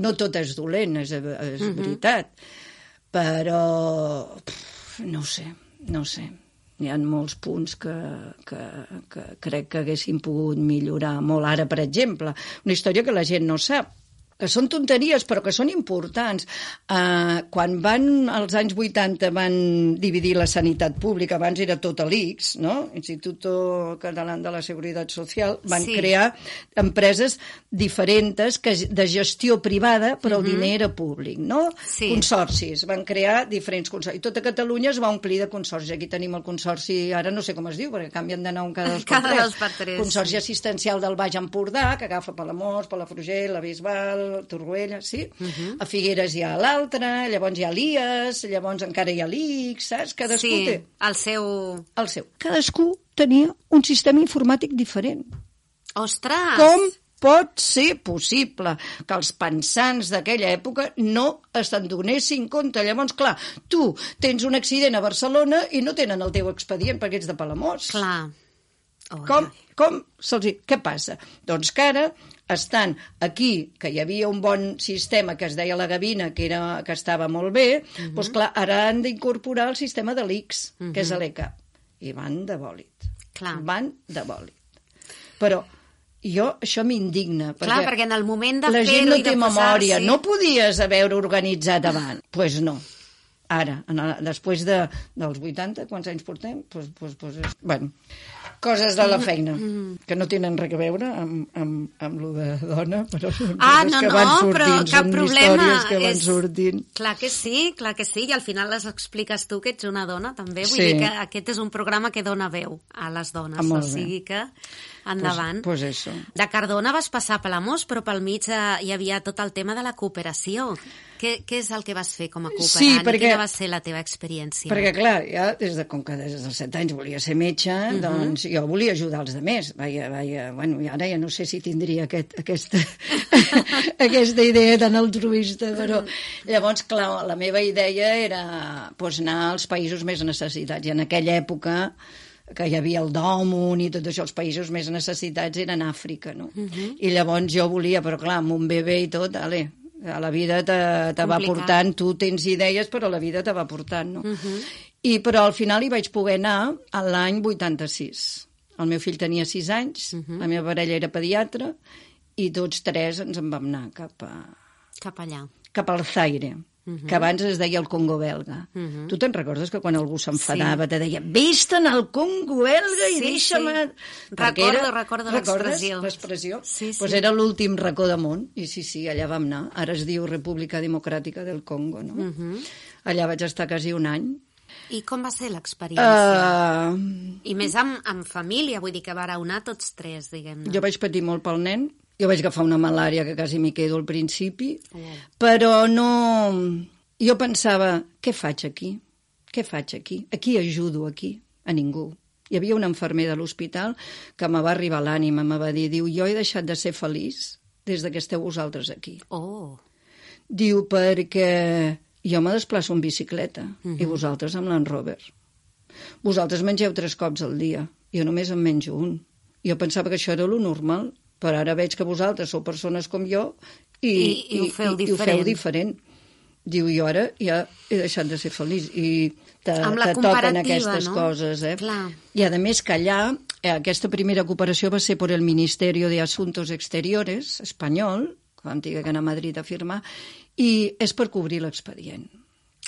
no tot és dolent, és, és uh-huh. veritat. Però, pff, no sé, no sé. Hi ha molts punts que, que, que crec que haguessin pogut millorar molt. Ara, per exemple, una història que la gent no sap, que són tonteries però que són importants. Uh, quan van, als anys vuitanta, van dividir la sanitat pública, abans era tot l'I C S, no? Instituto Català de la Seguretat Social, van sí. crear empreses diferents que, de gestió privada, però uh-huh. el diner era públic, no? Sí. Consorcis, van crear diferents consorcis. I tota Catalunya es va omplir de consorcis. Aquí tenim el consorci, ara no sé com es diu, perquè canvien de nom cada dos per cada tres. Dos per tres. Consorci assistencial del Baix Empordà, que agafa Palamós, Palafrugell, la Bisbal, Torroella, sí? Uh-huh. A Figueres hi ha l'altre, llavors hi ha l'I A S, llavors encara hi ha l'I C S, saps? Cadascú sí, té... el seu... El seu. Cadascú tenia un sistema informàtic diferent. Ostres! Com pot ser possible que els pensants d'aquella època no se'n donessin compte? Llavors, clar, tu tens un accident a Barcelona i no tenen el teu expedient perquè ets de Palamós. Clar. Oh, com, com se'ls... Què passa? Doncs que ara estan aquí, que hi havia un bon sistema que es deia la Gavina, que, era, que estava molt bé, uh-huh. doncs clar, ara han d'incorporar el sistema de l'I C S, uh-huh. que és l'E C A. I van de bòlit. Clar. Van de bòlit. Però jo, això m'indigna. Clar, perquè, perquè en el moment de la fer-ho gent no i de té memòria. posar-s'hi... No podies haver organitzat abans. Doncs pues no. Ara, després de, dels vuitanta, quants anys portem? Pues, pues, pues, és... Bueno, coses de la feina, que no tenen res a veure amb, amb, amb lo de dona, però són ah, coses no, que no, van sortint, però cap són problema. històries que van és... sortint. Clar que sí, clar que sí, i al final les expliques tu, que ets una dona, també. Vull sí. dir que aquest és un programa que dona veu a les dones, ah, o sigui que endavant. Pues, pues eso. De Cardona vas passar a Palamós, però pel mig hi havia tot el tema de la cooperació. Què, què és el que vas fer com a cooperant? Sí, perquè, quina va ser la teva experiència? Perquè, clar, ja des de, com que des dels set anys volia ser metge, uh-huh. doncs jo volia ajudar els altres. Vaja, vaja, bueno, i ara ja no sé si tindria aquest, aquesta, aquesta idea tan altruista, però llavors, clar, la meva idea era pues, anar als països més necessitats. I en aquella època que hi havia el Dòmun i tot això, els països més necessitats eren Àfrica, no? Uh-huh. I llavors jo volia, però clar, amb un bebè i tot, ale, a la vida te, te va portant, tu tens idees, però la vida te va portant, no? Uh-huh. I, però al final hi vaig poder anar a l'any vuitanta-sis. El meu fill tenia sis anys, uh-huh. la meva parella era pediatra, i tots tres ens en vam anar cap a... Cap allà. Cap al Zaire. Uh-huh. Que abans es deia el Congo belga. Uh-huh. Tu te'n recordes que quan algú s'enfadava sí. te deia vés-te'n al Congo belga i sí, deixa'm... Sí. Recordo, era... recordo l'expressió. l'expressió? Sí, sí. Pues era l'últim racó de món, i sí, sí, allà vam anar. Ara es diu República Democràtica del Congo, no? Uh-huh. Allà vaig estar quasi un any. I com va ser l'experiència? Uh... I més amb, amb família, vull dir que vareu anar tots tres, diguem-ne. Jo vaig patir molt pel nen. Jo vaig agafar una malària que quasi m'hi quedo al principi, oh. però no... Jo pensava, què faig aquí? Què faig aquí? A qui ajudo aquí? A ningú. hi havia un infermer de l'hospital que me va arribar a l'ànima, me va dir, diu, jo he deixat de ser feliç des que esteu vosaltres aquí. Oh. Diu, perquè jo me desplaço en bicicleta uh-huh. i vosaltres amb Land Rover. Vosaltres mengeu tres cops al dia, jo només en menjo un. Jo pensava que això era lo normal, però ara veig que vosaltres sou persones com jo i, I, i, ho, feu i, i ho feu diferent. Diu, jo ara ja he deixat de ser feliç i te, te toquen aquestes no? coses. Eh? Clar. I a més que allà, eh, aquesta primera cooperació va ser per el Ministerio de Asuntos Exteriores espanyol, que vam tenir que anar a Madrid a firmar, i és per cobrir l'expedient.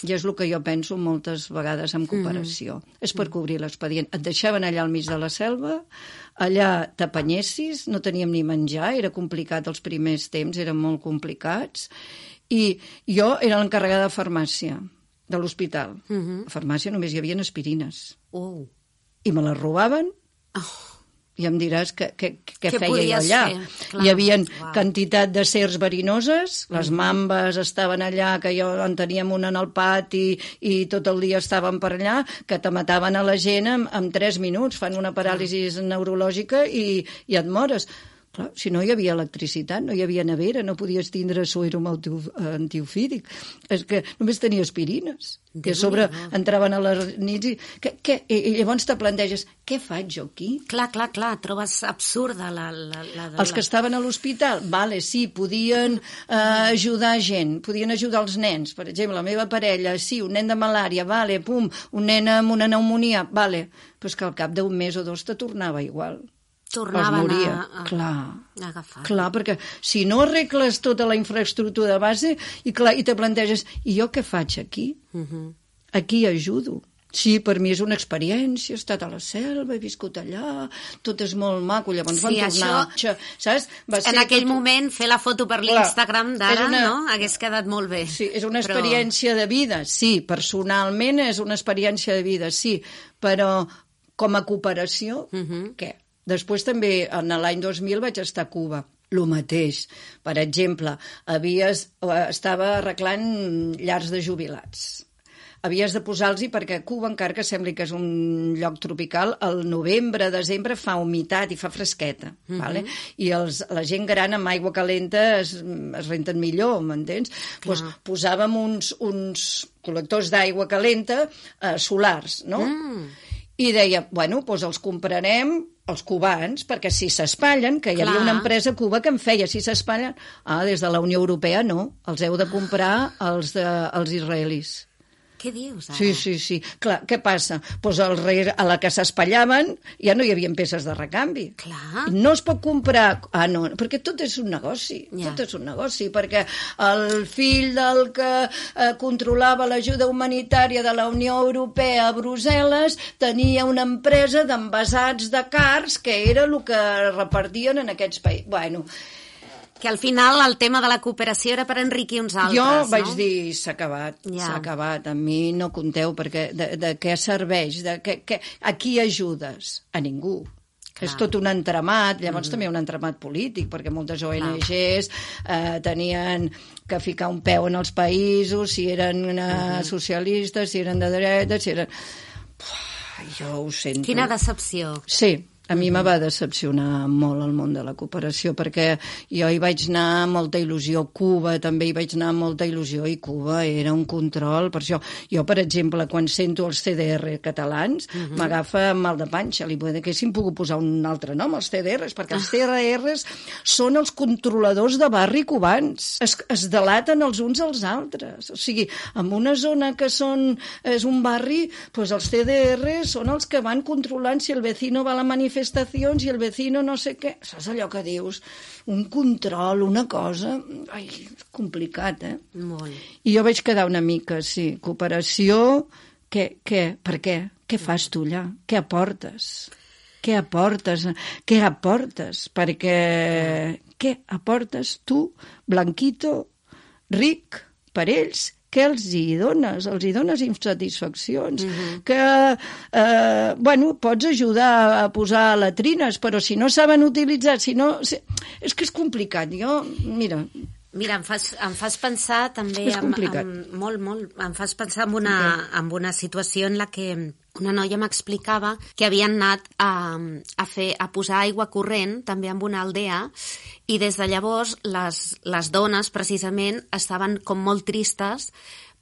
I és el que jo penso moltes vegades en cooperació. Mm-hmm. És per cobrir l'expedient. Et deixaven allà al mig de la selva, allà t'apanyessis, no teníem ni menjar, era complicat els primers temps, eren molt complicats, i jo era l'encarregada de farmàcia de l'hospital. Mm-hmm. A farmàcia només hi havia aspirines. Oh. I me les robaven. Oh. I em diràs què, què, què Què feia jo allà. Clar. Hi havia Wow. quantitat de serps verinoses, les mambes estaven allà, que jo en teníem una en el pati i tot el dia estaven per allà, que te mataven a la gent en, en tres minuts, fan una paràlisi neurològica i, i et mores. Clar, si no hi havia electricitat, no hi havia nevera, no podies tindre suero antiofídic. És que només tenia aspirines. Que a sobre entraven a les nits i... Que, que, I llavors te planteges, què faig jo aquí? Clar, clar, clar, trobes absurda la... la, la, la... Els que estaven a l'hospital, vale, sí, podien eh, ajudar gent, podien ajudar els nens. Per exemple, la meva parella, sí, un nen de malària, vale, pum, un nen amb una pneumònia, vale. Però és que al cap d'un mes o dos te tornava igual. Tornaven a, a, clar, a agafar. Clar, perquè si no arregles tota la infraestructura de base i, clar, i te planteges, i jo què faig aquí? Uh-huh. Aquí ajudo. Sí, per mi és una experiència, he estat a la selva, he viscut allà, tot és molt maco, llavors sí, van tornar... Això, saps? Va ser en aquell tot... moment, fer la foto per l'Instagram d'ara, una... no? Hagués quedat molt bé. Sí, és una experiència però... de vida, sí, personalment és una experiència de vida, sí, però com a cooperació, uh-huh. què? Després també, en l'any dos mil, vaig estar a Cuba. El mateix. Per exemple, havies, estava arreglant llars de jubilats. Havies de posar-los-hi perquè Cuba, encara que sembli que és un lloc tropical, al novembre, desembre fa humitat i fa fresqueta. Uh-huh. Vale? I els, la gent gran amb aigua calenta es, es renten millor, m'entens? Pues posàvem uns, uns col·lectors d'aigua calenta eh, solars, no? Mm. I deia, bueno, doncs els comprarem els cubans, perquè si s'espatllen, que hi havia una empresa a Cuba que en feia, si s'espatllen, ah, des de la Unió Europea no, els heu de comprar els, de, els israelis. Què dius, ara? Sí, sí, sí. Clar, què passa? Doncs el rei, a la que s'espallaven ja no hi havia peces de recanvi. Clar. No es pot comprar... Ah, no, perquè tot és un negoci. Ja. Tot és un negoci, perquè el fill del que eh, controlava l'ajuda humanitària de la Unió Europea a Brussel·les tenia una empresa d'envasats de cars que era el que repartien en aquests països. Bueno... Que al final el tema de la cooperació era per enriquir uns altres, jo no? vaig dir, s'ha acabat, ja. s'ha acabat. A mi no compteu, perquè de, de què serveix? De què, què, a qui ajudes? A ningú. Clar. És tot un entramat, llavors mm-hmm. també un entramat polític, perquè moltes O N Ges eh, tenien que ficar un peu en els països, si eren eh, mm-hmm. socialistes, si eren de dreta, si eren... Uf, jo ho sento. Quina decepció. Sí. A mi me va decepcionar molt el món de la cooperació, perquè jo hi vaig anar amb molta il·lusió. Cuba també hi vaig anar amb molta il·lusió, i Cuba era un control. Per això, jo, per exemple, quan sento els C D R catalans, uh-huh. m'agafa mal de panxa. Li haguéssim pogut posar un altre nom, els C D Rs, perquè els C D Rs són els controladors de barri cubans. Es, es delaten els uns als altres. O sigui, en una zona que són, és un barri, doncs els C D Rs són els que van controlant si el vecino va a la manifestació manifestacions i el vecino no sé què. Saps allò que dius? Un control, una cosa... Ai, és complicat, eh? Molt. I jo vaig quedar una mica, sí. Cooperació, què? què? Per què? Què fas tu allà? Què aportes? Què aportes? Què aportes? Perquè... Què aportes tu, blanquito, ric, per ells? Què els hi dones? Els hi dones insatisfaccions. Uh-huh. Que, eh, bueno, pots ajudar a posar latrines, però si no saben utilitzar, si no... Si... És que és complicat. Jo, mira... Mira, em fas, em fas pensar també... És complicat. En, en, molt, molt. Em fas pensar en una, okay. en una situació en la que una noia m'explicava que havien anat a, a, fer, a posar aigua corrent també en una aldea i des de llavors les, les dones precisament estaven com molt tristes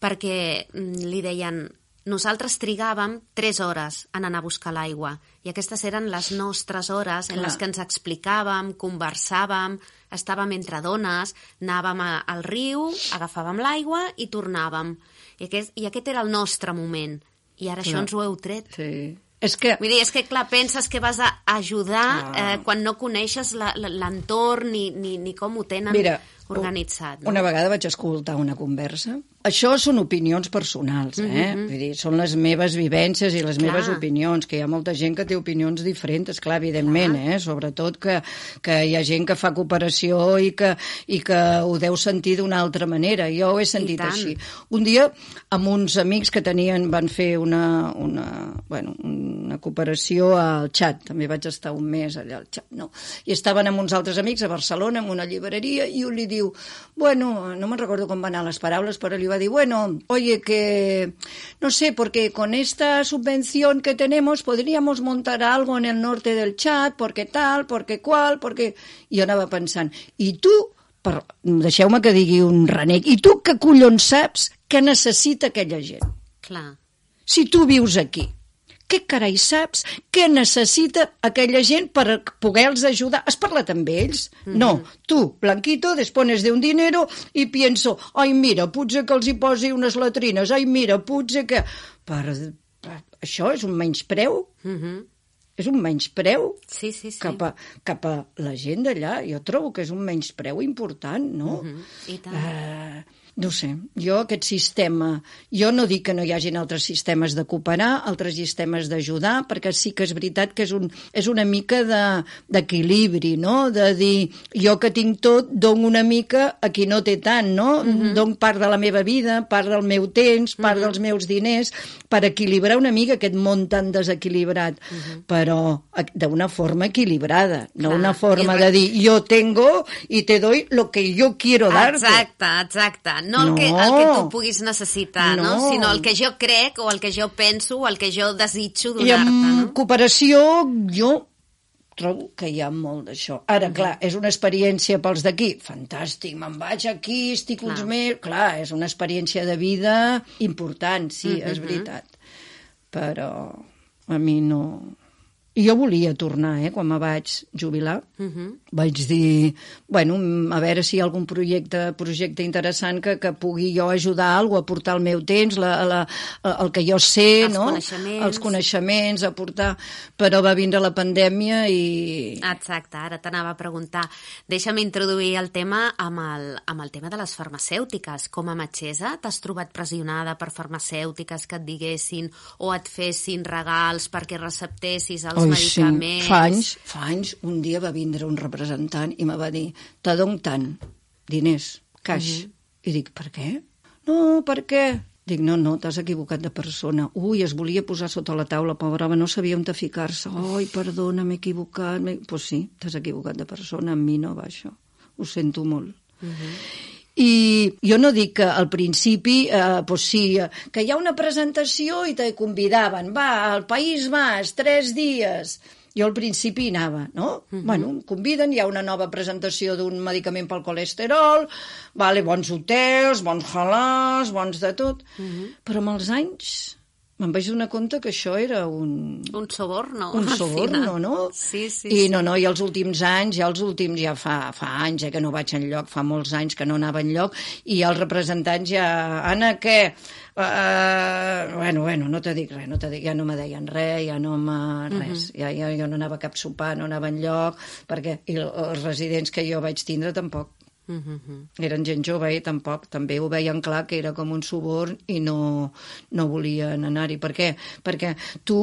perquè li deien nosaltres trigàvem tres hores en anar a buscar l'aigua i aquestes eren les nostres hores en Clar. les que ens explicàvem, conversàvem, estàvem entre dones, anàvem a, al riu, agafàvem l'aigua i tornàvem. I aquest, I aquest era el nostre moment. I ara Clar. això ens ho heu tret. Sí. És que... Vull dir, és que, clar, penses que vas a ajudar ah. eh, quan no coneixes l'entorn ni, ni, ni com ho tenen Mira, organitzat. No? Una vegada vaig escoltar una conversa. Això són opinions personals, eh? Mm-hmm. Vull dir, són les meves vivències i les Clar. meves opinions, que hi ha molta gent que té opinions diferents, clar, evidentment, Clar. eh? Sobretot que, que hi ha gent que fa cooperació i que, i que ho deu sentir d'una altra manera. Jo ho he sentit així. Un dia, amb uns amics que tenien, van fer una, una, bueno, una cooperació al Txad, també vaig estar un mes allà al Txad, no? I estaven amb uns altres amics a Barcelona, en una llibreria, i un li diu, bueno, no me'n recordo com van anar les paraules, però li va dir, bueno, oye, que no sé, porque con esta subvención que tenemos podríamos montar algo en el norte del Txad, porque tal, porque cual, porque... I jo anava pensant, i tu, per... deixeu-me que digui un renec, i tu que collons saps què necessita aquella gent? Clar. Si tu vius aquí, què carai saps què necessita aquella gent per poder-los ajudar? Has parlat amb ells? Mm-hmm. No. Tu, Blanquito, dispones d'un dinero i pienso, ai, mira, potser que els hi posi unes latrines, ai, mira, potser que... Per, per, això és un menyspreu? Mm-hmm. És un menyspreu sí, sí, sí. Cap, a, cap a la gent d'allà. Jo trobo que és un menyspreu important, no? Mm-hmm. I tant. Uh, no sé, jo aquest sistema... Jo no dic que no hi hagin altres sistemes de cooperar, altres sistemes d'ajudar, perquè sí que és veritat que és, un, és una mica d'equilibri, de, no? De dir, jo que tinc tot, dono una mica a qui no té tant, no? Mm-hmm. Dono part de la meva vida, part del meu temps, part mm-hmm. dels meus diners, per equilibrar una mica aquest món tan desequilibrat, mm-hmm. però d'una forma equilibrada, no Clar. una forma I... de dir, jo tengo i te doy lo que yo quiero darte. Exacte, exacte. No el, no que, el que tu puguis necessitar, no. no? Sinó el que jo crec o el que jo penso o el que jo desitjo donar-te. I amb no? cooperació jo trobo que hi ha molt d'això. Ara, mm. clar, és una experiència pels d'aquí. Fantàstic, me'n vaig aquí, estic clar. uns mesos... Clar, és una experiència de vida important, sí, mm-hmm. és veritat. Però a mi no... I jo volia tornar, eh, quan me vaig jubilar. Uh-huh. Vaig dir, bueno, a veure si hi ha algun projecte, projecte interessant que, que pugui jo ajudar a alguna cosa, aportar el meu temps, la, la, el que jo sé, els no? coneixements. Els coneixements, aportar... Però va vindre la pandèmia i... Exacte, ara t'anava a preguntar. Deixa'm introduir el tema amb el, amb el tema de les farmacèutiques. Com a metgessa, t'has trobat pressionada per farmacèutiques que et diguessin o et fessin regals perquè receptessis els Oi, medicaments? Sí. Fa anys, fa anys, un dia va vindre un representant i me va dir, te dono tant, diners, caix. Uh-huh. I dic, per què? No, per què? Dic, no, no, t'has equivocat de persona. Ui, es volia posar sota la taula, pobra home, no sabia on ficar-se. Ai, perdona, m'he equivocat. Doncs pues sí, t'has equivocat de persona, amb mi no va això. Ho sento molt. Uh-huh. I jo no dic que al principi, eh, pues sí, que hi ha una presentació i te convidaven, va, al País Basc, tres dies. Jo al principi anava, no? Uh-huh. Bueno, em conviden, hi ha una nova presentació d'un medicament pel colesterol, vale, bons hotels, bons halals, bons de tot. Uh-huh. Però amb els anys me'n vaig donar compte que això era un... Un soborno. Un soborno, no? Sí, sí, I sí. no, no, i els últims anys, ja els últims, ja fa, fa anys, eh, que no vaig enlloc, fa molts anys que no anava enlloc, i els representants ja... Anna, què? Uh, bueno, bueno, no te dic res, no te dic, ja no me deien res, ja no me... res. Uh-huh. ja, ja, jo no anava a cap sopar, no anava enlloc, perquè i els residents que jo vaig tindre tampoc. Uh-huh. Eren gent jove i tampoc, també ho veien clar que era com un suborn i no, no volien anar-hi. Per què? Perquè tu,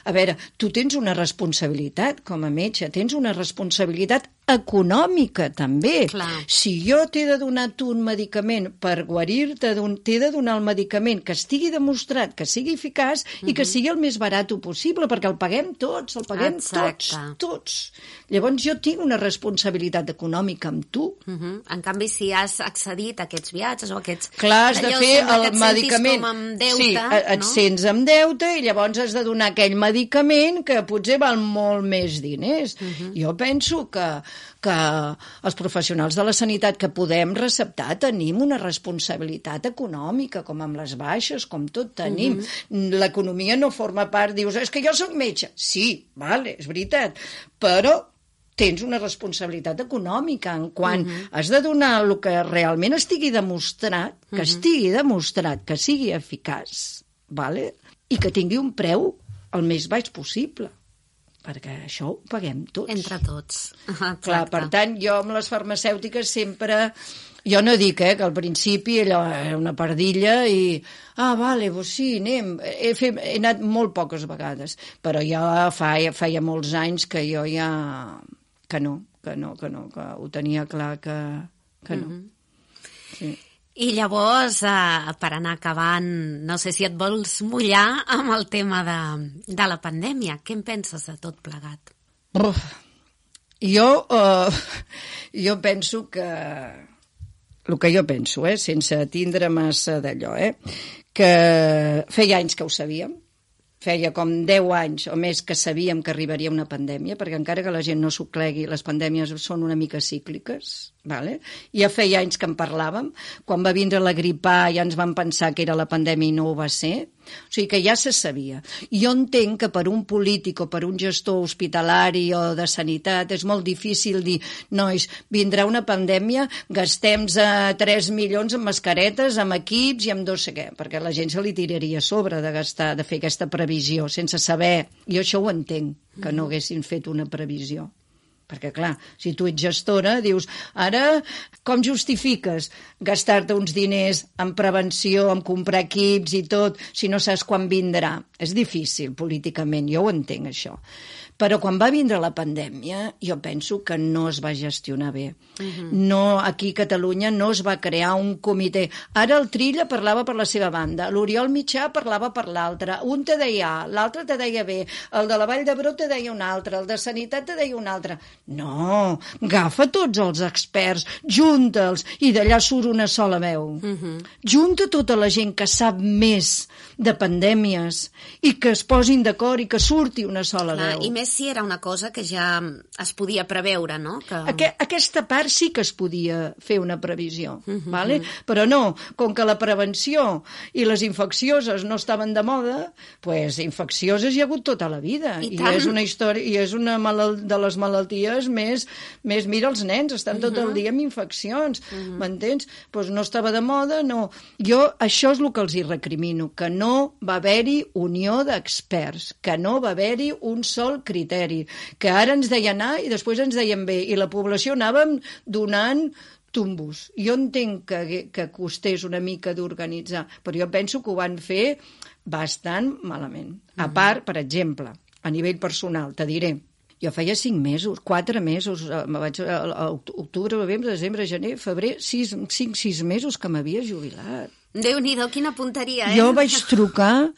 a veure, tu tens una responsabilitat com a metge, tens una responsabilitat econòmica, també. Clar. Si jo t'he de donar tu un medicament per guarir-te, t'he de donar el medicament que estigui demostrat, que sigui eficaç uh-huh. i que sigui el més barat possible, perquè el paguem tots, el paguem Exacte. tots, tots. Llavors jo tinc una responsabilitat econòmica amb tu. Uh-huh. En canvi, si has accedit a aquests viatges o a aquests... Clar, has de fer el medicament... Com amb deute, sí, et no? sents amb deute i llavors has de donar aquell medicament que potser val molt més diners. Uh-huh. Jo penso que, que els professionals de la sanitat que podem receptar tenim una responsabilitat econòmica, com amb les baixes, com tot tenim. Uh-huh. L'economia no forma part, dius, és que jo sóc metge. Sí, vale, és veritat, però tens una responsabilitat econòmica en quan uh-huh. has de donar el que realment estigui demostrat, que uh-huh. estigui demostrat, que sigui eficaç, vale? I que tingui un preu el més baix possible, perquè això ho paguem tots. Entre tots. Exacte. Clar, per tant, jo amb les farmacèutiques sempre... Jo no dic eh, que al principi allò era una pardilla i... Ah, vale, doncs sí, anem. He, fet, he anat molt poques vegades, però ja feia, feia molts anys que jo ja... que no, que no, que no, que ho tenia clar que, que no. Mm-hmm. Sí. I llavors, eh, per anar acabant, no sé si et vols mullar amb el tema de, de la pandèmia. Què en penses de tot plegat? Uf. Jo, uh, jo penso que... El que jo penso, eh, sense tindre massa d'allò, eh, que feia anys que ho sabíem, feia com deu anys o més que sabíem que arribaria una pandèmia, perquè encara que la gent no s'ho clegui, les pandèmies són una mica cícliques, vale? Ja feia anys que en parlàvem, quan va vindre la grip A ja ens vam pensar que era la pandèmia i no ho va ser, o sigui que ja se sabia. Jo entenc que per un polític o per un gestor hospitalari o de sanitat és molt difícil dir, nois, vindrà una pandèmia, gastem tres milions en mascaretes, amb equips i amb no sé què, perquè la gent se li tiraria a sobre de gastar, de fer aquesta previsió, sense saber. Jo això ho entenc, que no haguessin fet una previsió. Perquè, clar, si tu ets gestora, dius, ara, com justifiques gastar-te uns diners en prevenció, en comprar equips i tot, si no saps quan vindrà? És difícil, políticament, jo ho entenc, això. Però quan va vindre la pandèmia, jo penso que no es va gestionar bé. Uh-huh. No, aquí a Catalunya no es va crear un comitè. Ara el Trilla parlava per la seva banda, l'Oriol Mitjà parlava per l'altra, un te deia A, l'altre te deia B, el de la Vall d'Hebron te deia un altre, el de Sanitat te deia un altre. No, agafa tots els experts, junta'ls, i d'allà surt una sola veu. Uh-huh. Junta tota la gent que sap més de pandèmies i que es posin d'acord i que surti una sola Clar, veu. I més si era una cosa que ja es podia preveure, no? Que... Aqu- aquesta part sí que es podia fer una previsió, uh-huh. vale? Però no, com que la prevenció i les infeccioses no estaven de moda, pues infeccioses hi ha hagut tota la vida. I, I és una història, i és una malal- de les malalties més, més... Mira, els nens estan tot uh-huh. el dia amb infeccions, uh-huh. m'entens? Pues no estava de moda, no. Jo, això és el que els hi recrimino, que no va haver-hi unió d'experts, que no va haver-hi un sol criteri, que ara ens deien A i després ens deien B, i la població anàvem donant tumbos. Jo entenc que, que costés una mica d'organitzar, però jo penso que ho van fer bastant malament. A part, per exemple, a nivell personal, te diré, jo feia cinc mesos, quatre mesos, me vaig, a, a octubre, novembre, desembre, gener, febrer, sis, cinc, sis mesos que m'havia jubilat. Déu-n'hi-do, quina punteria, eh? Jo vaig trucar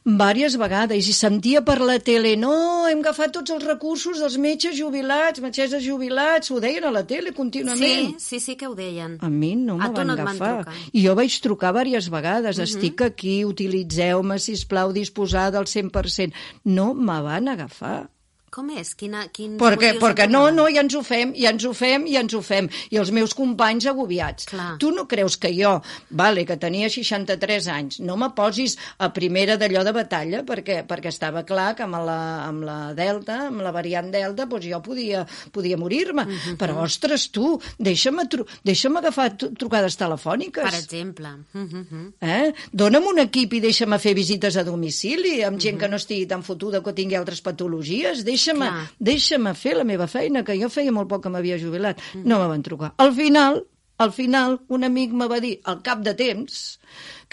diverses vegades i sentia per la tele, no, hem agafat tots els recursos dels metges jubilats, metgesses jubilats, ho deien a la tele contínuament. Sí, sí, sí que ho deien. A mi no me van no agafar. I jo vaig trucar diverses vegades, uh-huh. estic aquí, utilitzeu-me, sisplau, disposada al cent per cent. No me van agafar. Com és? Quina, quins perquè, motius perquè en no, tenen? no, ja ens ho fem, ja ens ho fem, ja ens ho fem. I els meus companys agobiats. Clar. Tu no creus que jo, vale, que tenia seixanta-tres anys, no me posis a primera d'allò de batalla, perquè, perquè estava clar que amb la, amb la Delta, amb la variant Delta, doncs jo podia, podia morir-me. Uh-huh. Però, ostres, tu, deixa'm, tru deixa'm agafar trucades telefòniques. Per exemple. Uh-huh. Eh? Dóna'm un equip i deixa'm fer visites a domicili amb gent uh-huh. que no estigui tan fotuda que tingui altres patologies. Deixa'm, deixa'm fer la meva feina, que jo feia molt poc que m'havia jubilat. Uh-huh. No me van trucar. Al final, al final un amic me va dir, al cap de temps,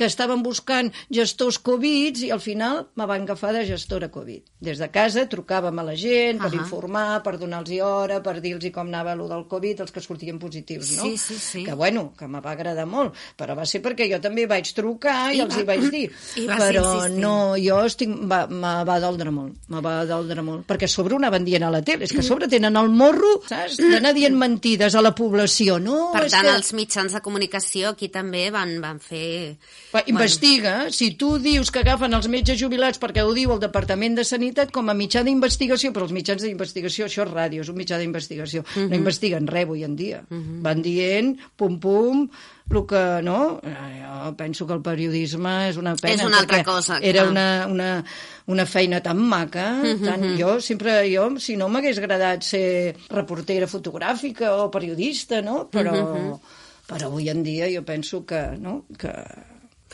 que estaven buscant gestors Covid i al final me van agafar de gestora Covid. Des de casa trucàvem a la gent per uh -huh. informar, per donar-los hora, per dir-los com anava allò del Covid, els que sortien positius, no? Sí, sí, sí. Que bueno, que me va agradar molt, però va ser perquè jo també vaig trucar i, I els va... hi vaig dir. I però no, jo estic... Va, me va doldre molt, me va doldre molt, perquè a sobre ho anaven dient a la tele, és que a sobre tenen el morro, saps?, d'anar dient mentides a la població, no? Per és tant, que... els mitjans de comunicació aquí també van, van fer... Va, investiga, bueno. Si tu dius que agafen els metges jubilats perquè ho diu el Departament de Sanitat com a mitjà d'investigació, però els mitjans d'investigació, això és ràdio, és un mitjà d'investigació, uh -huh. no investiguen res avui en dia. Uh -huh. Van dient, pum, pum, el que, no? Jo penso que el periodisme és una pena. És una altra cosa. Era una, una, una feina tan maca, uh -huh. tan, jo sempre, jo, si no m'hagués agradat ser reportera fotogràfica o periodista, no? Però, uh -huh. però avui en dia jo penso que, no?, que...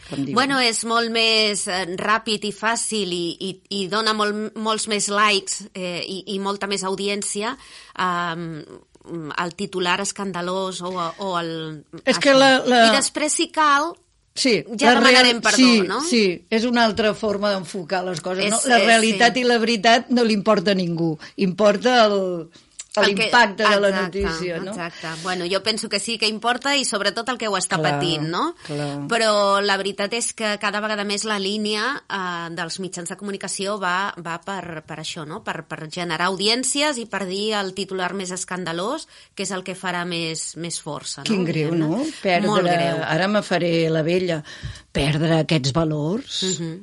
Bueno, és molt més eh, ràpid i fàcil i, i, i dona molt, molts més likes eh, i, i molta més audiència eh, el titular escandalós o, o el... És que la, la... I després, si cal, sí, ja demanarem perdó, sí, no? Sí, és una altra forma d'enfocar les coses. És, no? La realitat sí. i la veritat no li importa a ningú. Importa el... l'impacte de la notícia, no? Exacte. Bueno, jo penso que sí que importa i sobretot el que ho està clar, patint, no? Clar. Però la veritat és que cada vegada més la línia eh, dels mitjans de comunicació va, va per, per això, no? Per, per generar audiències i per dir el titular més escandalós, que és el que farà més, més força, no? Quin greu, no? Perdre, molt greu. Ara me faré la vella, perdre aquests valors... Uh -huh.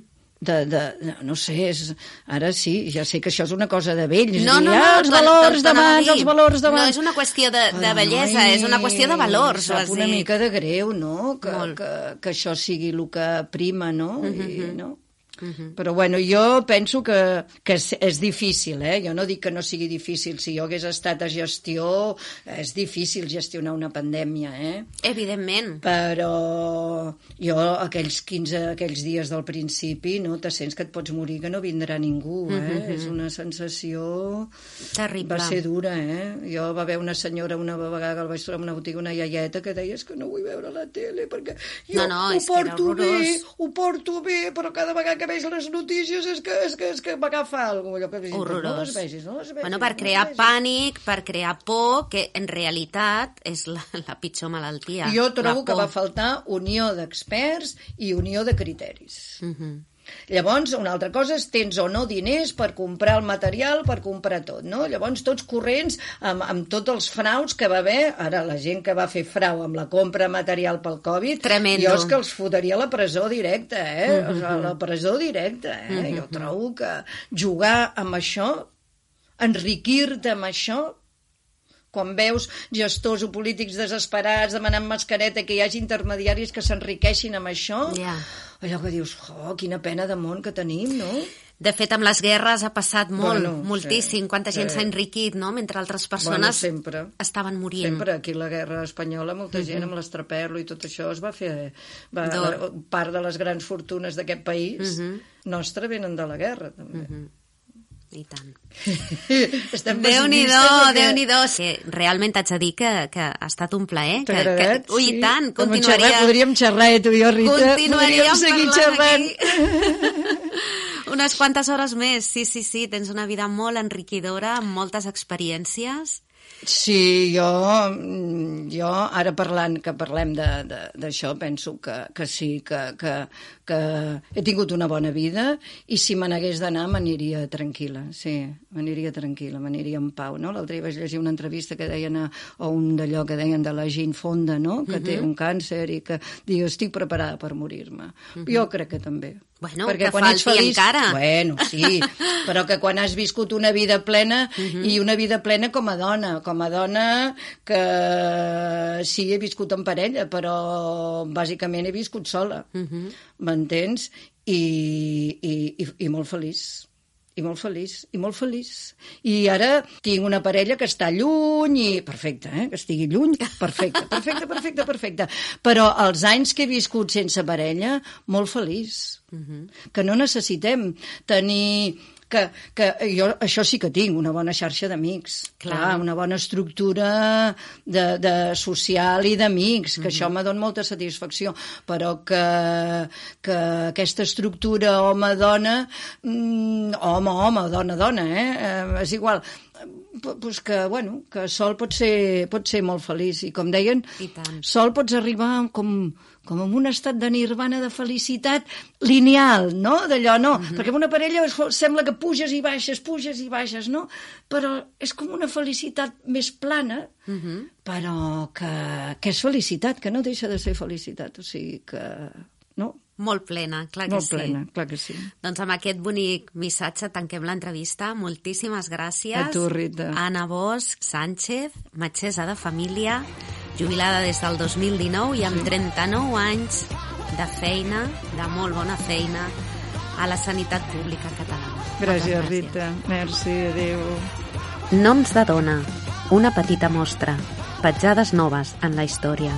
De, de, no sé, és, ara sí, ja sé que això és una cosa de vells, no, dir, no, no, ah, els valors d'abans, els valors d'abans... No, és una qüestió de, de bellesa, ai, és una qüestió de valors. Sap una mica de greu, no?, que, que, que això sigui el que prima, no? Uh -huh. I, no? Uh-huh. Però bueno, jo penso que, que és, és difícil, eh? Jo no dic que no sigui difícil. Si jo hagués estat a gestió, és difícil gestionar una pandèmia, eh? Evidentment. Però jo aquells quinze, aquells dies del principi, no, te sents que et pots morir, que no vindrà ningú, eh? Uh-huh. És una sensació... Terrible. Va ser dura, eh? Jo va haver una senyora una vegada que el vaig trobar en una botiga, una iaieta, que deia que no vull veure la tele perquè jo no, no, ho porto bé, ho porto bé, però cada vegada que veig les notícies és que, és que, és que m'agafa alguna cosa. Horrorós. No les vegis, no les vegis. Bueno, per crear no pànic, per crear por, que en realitat és la, la pitjor malaltia. Jo trobo que va faltar unió d'experts i unió de criteris. Uh -huh. Llavors, una altra cosa és tens o no diners per comprar el material, per comprar tot, no? Llavors, tots corrents amb, amb tots els frauds que va haver, ara la gent que va fer frau amb la compra material pel Covid, tremendo. Jo és que els fotria a la presó directa, eh? Uh -huh. O sigui, a la presó directa, eh? Uh -huh. Jo trobo que jugar amb això, enriquir-te amb això, quan veus gestors o polítics desesperats demanant mascareta, que hi hagi intermediaris que s'enriqueixin amb això, yeah. allò que dius, oh, quina pena de món que tenim, no? De fet, amb les guerres ha passat molt, bueno, moltíssim, sí, quanta gent sí. s'ha enriquit, no?, mentre altres persones bueno, sempre, estaven morint. Sempre, aquí la guerra espanyola, molta uh-huh. gent amb l'estraperlo i tot això es va fer... Va, la, part de les grans fortunes d'aquest país uh-huh. nostre venen de la guerra, també. Uh-huh. I tant. Déu-n'hi-do, perquè... Déu-n'hi-do. Sí, realment t'haig de dir que, que ha estat un plaer. T'ha agradat? Que, ui, sí. i tant, Com continuaria... Xerrar, podríem xerrar, eh, tu i jo, Rita. Continuaríem podríem seguir xerrant. Unes quantes hores més, sí, sí, sí. Tens una vida molt enriquidora, amb moltes experiències. Sí, jo, jo ara parlant, que parlem d'això, penso que, que sí, que, que, que he tingut una bona vida i si me n'hagués d'anar m'aniria tranquil·la, sí, m'aniria tranquil·la, m'aniria en pau, no? L'altre dia vaig llegir una entrevista que deien, a, o un d'allò que deien de la Jane Fonda, no?, que uh-huh. té un càncer i que diu, estic preparada per morir-me. Uh-huh. Jo crec que també. Bueno, perquè que quan falti ets feliç, encara. Bueno, sí, però que quan has viscut una vida plena, uh-huh. i una vida plena com a dona, com a dona que sí, he viscut en parella, però bàsicament he viscut sola, uh-huh. m'entens? I, i, i, i molt feliç. I molt feliç, i molt feliç. I ara tinc una parella que està lluny i... Perfecte, eh? Que estigui lluny. Perfecte, perfecte, perfecte, perfecte. Però els anys que he viscut sense parella, molt feliç. Uh-huh. Que no necessitem tenir que, que jo això sí que tinc, una bona xarxa d'amics, clar. clar, una bona estructura de, de social i d'amics, que mm-hmm. això me dona molta satisfacció, però que, que aquesta estructura home-dona, mm, home-home, dona-dona, eh? eh, és igual, pues que, bueno, que sol pot ser, pot ser molt feliç, i com deien, sol pots arribar com, com en un estat de nirvana, de felicitat lineal, no? D'allò, no, uh-huh. perquè en una parella sembla que puges i baixes, puges i baixes, no? Però és com una felicitat més plana, uh-huh. però que, que és felicitat, que no deixa de ser felicitat, o sigui que... no? Molt plena, clar que Molt sí. Molt plena, clar que sí. Doncs amb aquest bonic missatge tanquem l'entrevista. Moltíssimes gràcies. A tu, Rita. Anna Bosch Sánchez, metgessa de família, jubilada des del dos mil dinou i amb sí. trenta-nou anys de feina, de molt bona feina, a la sanitat pública catalana. Gràcies, gràcies. Rita. Merci, adéu. Noms de dona, una petita mostra, petjades noves en la història.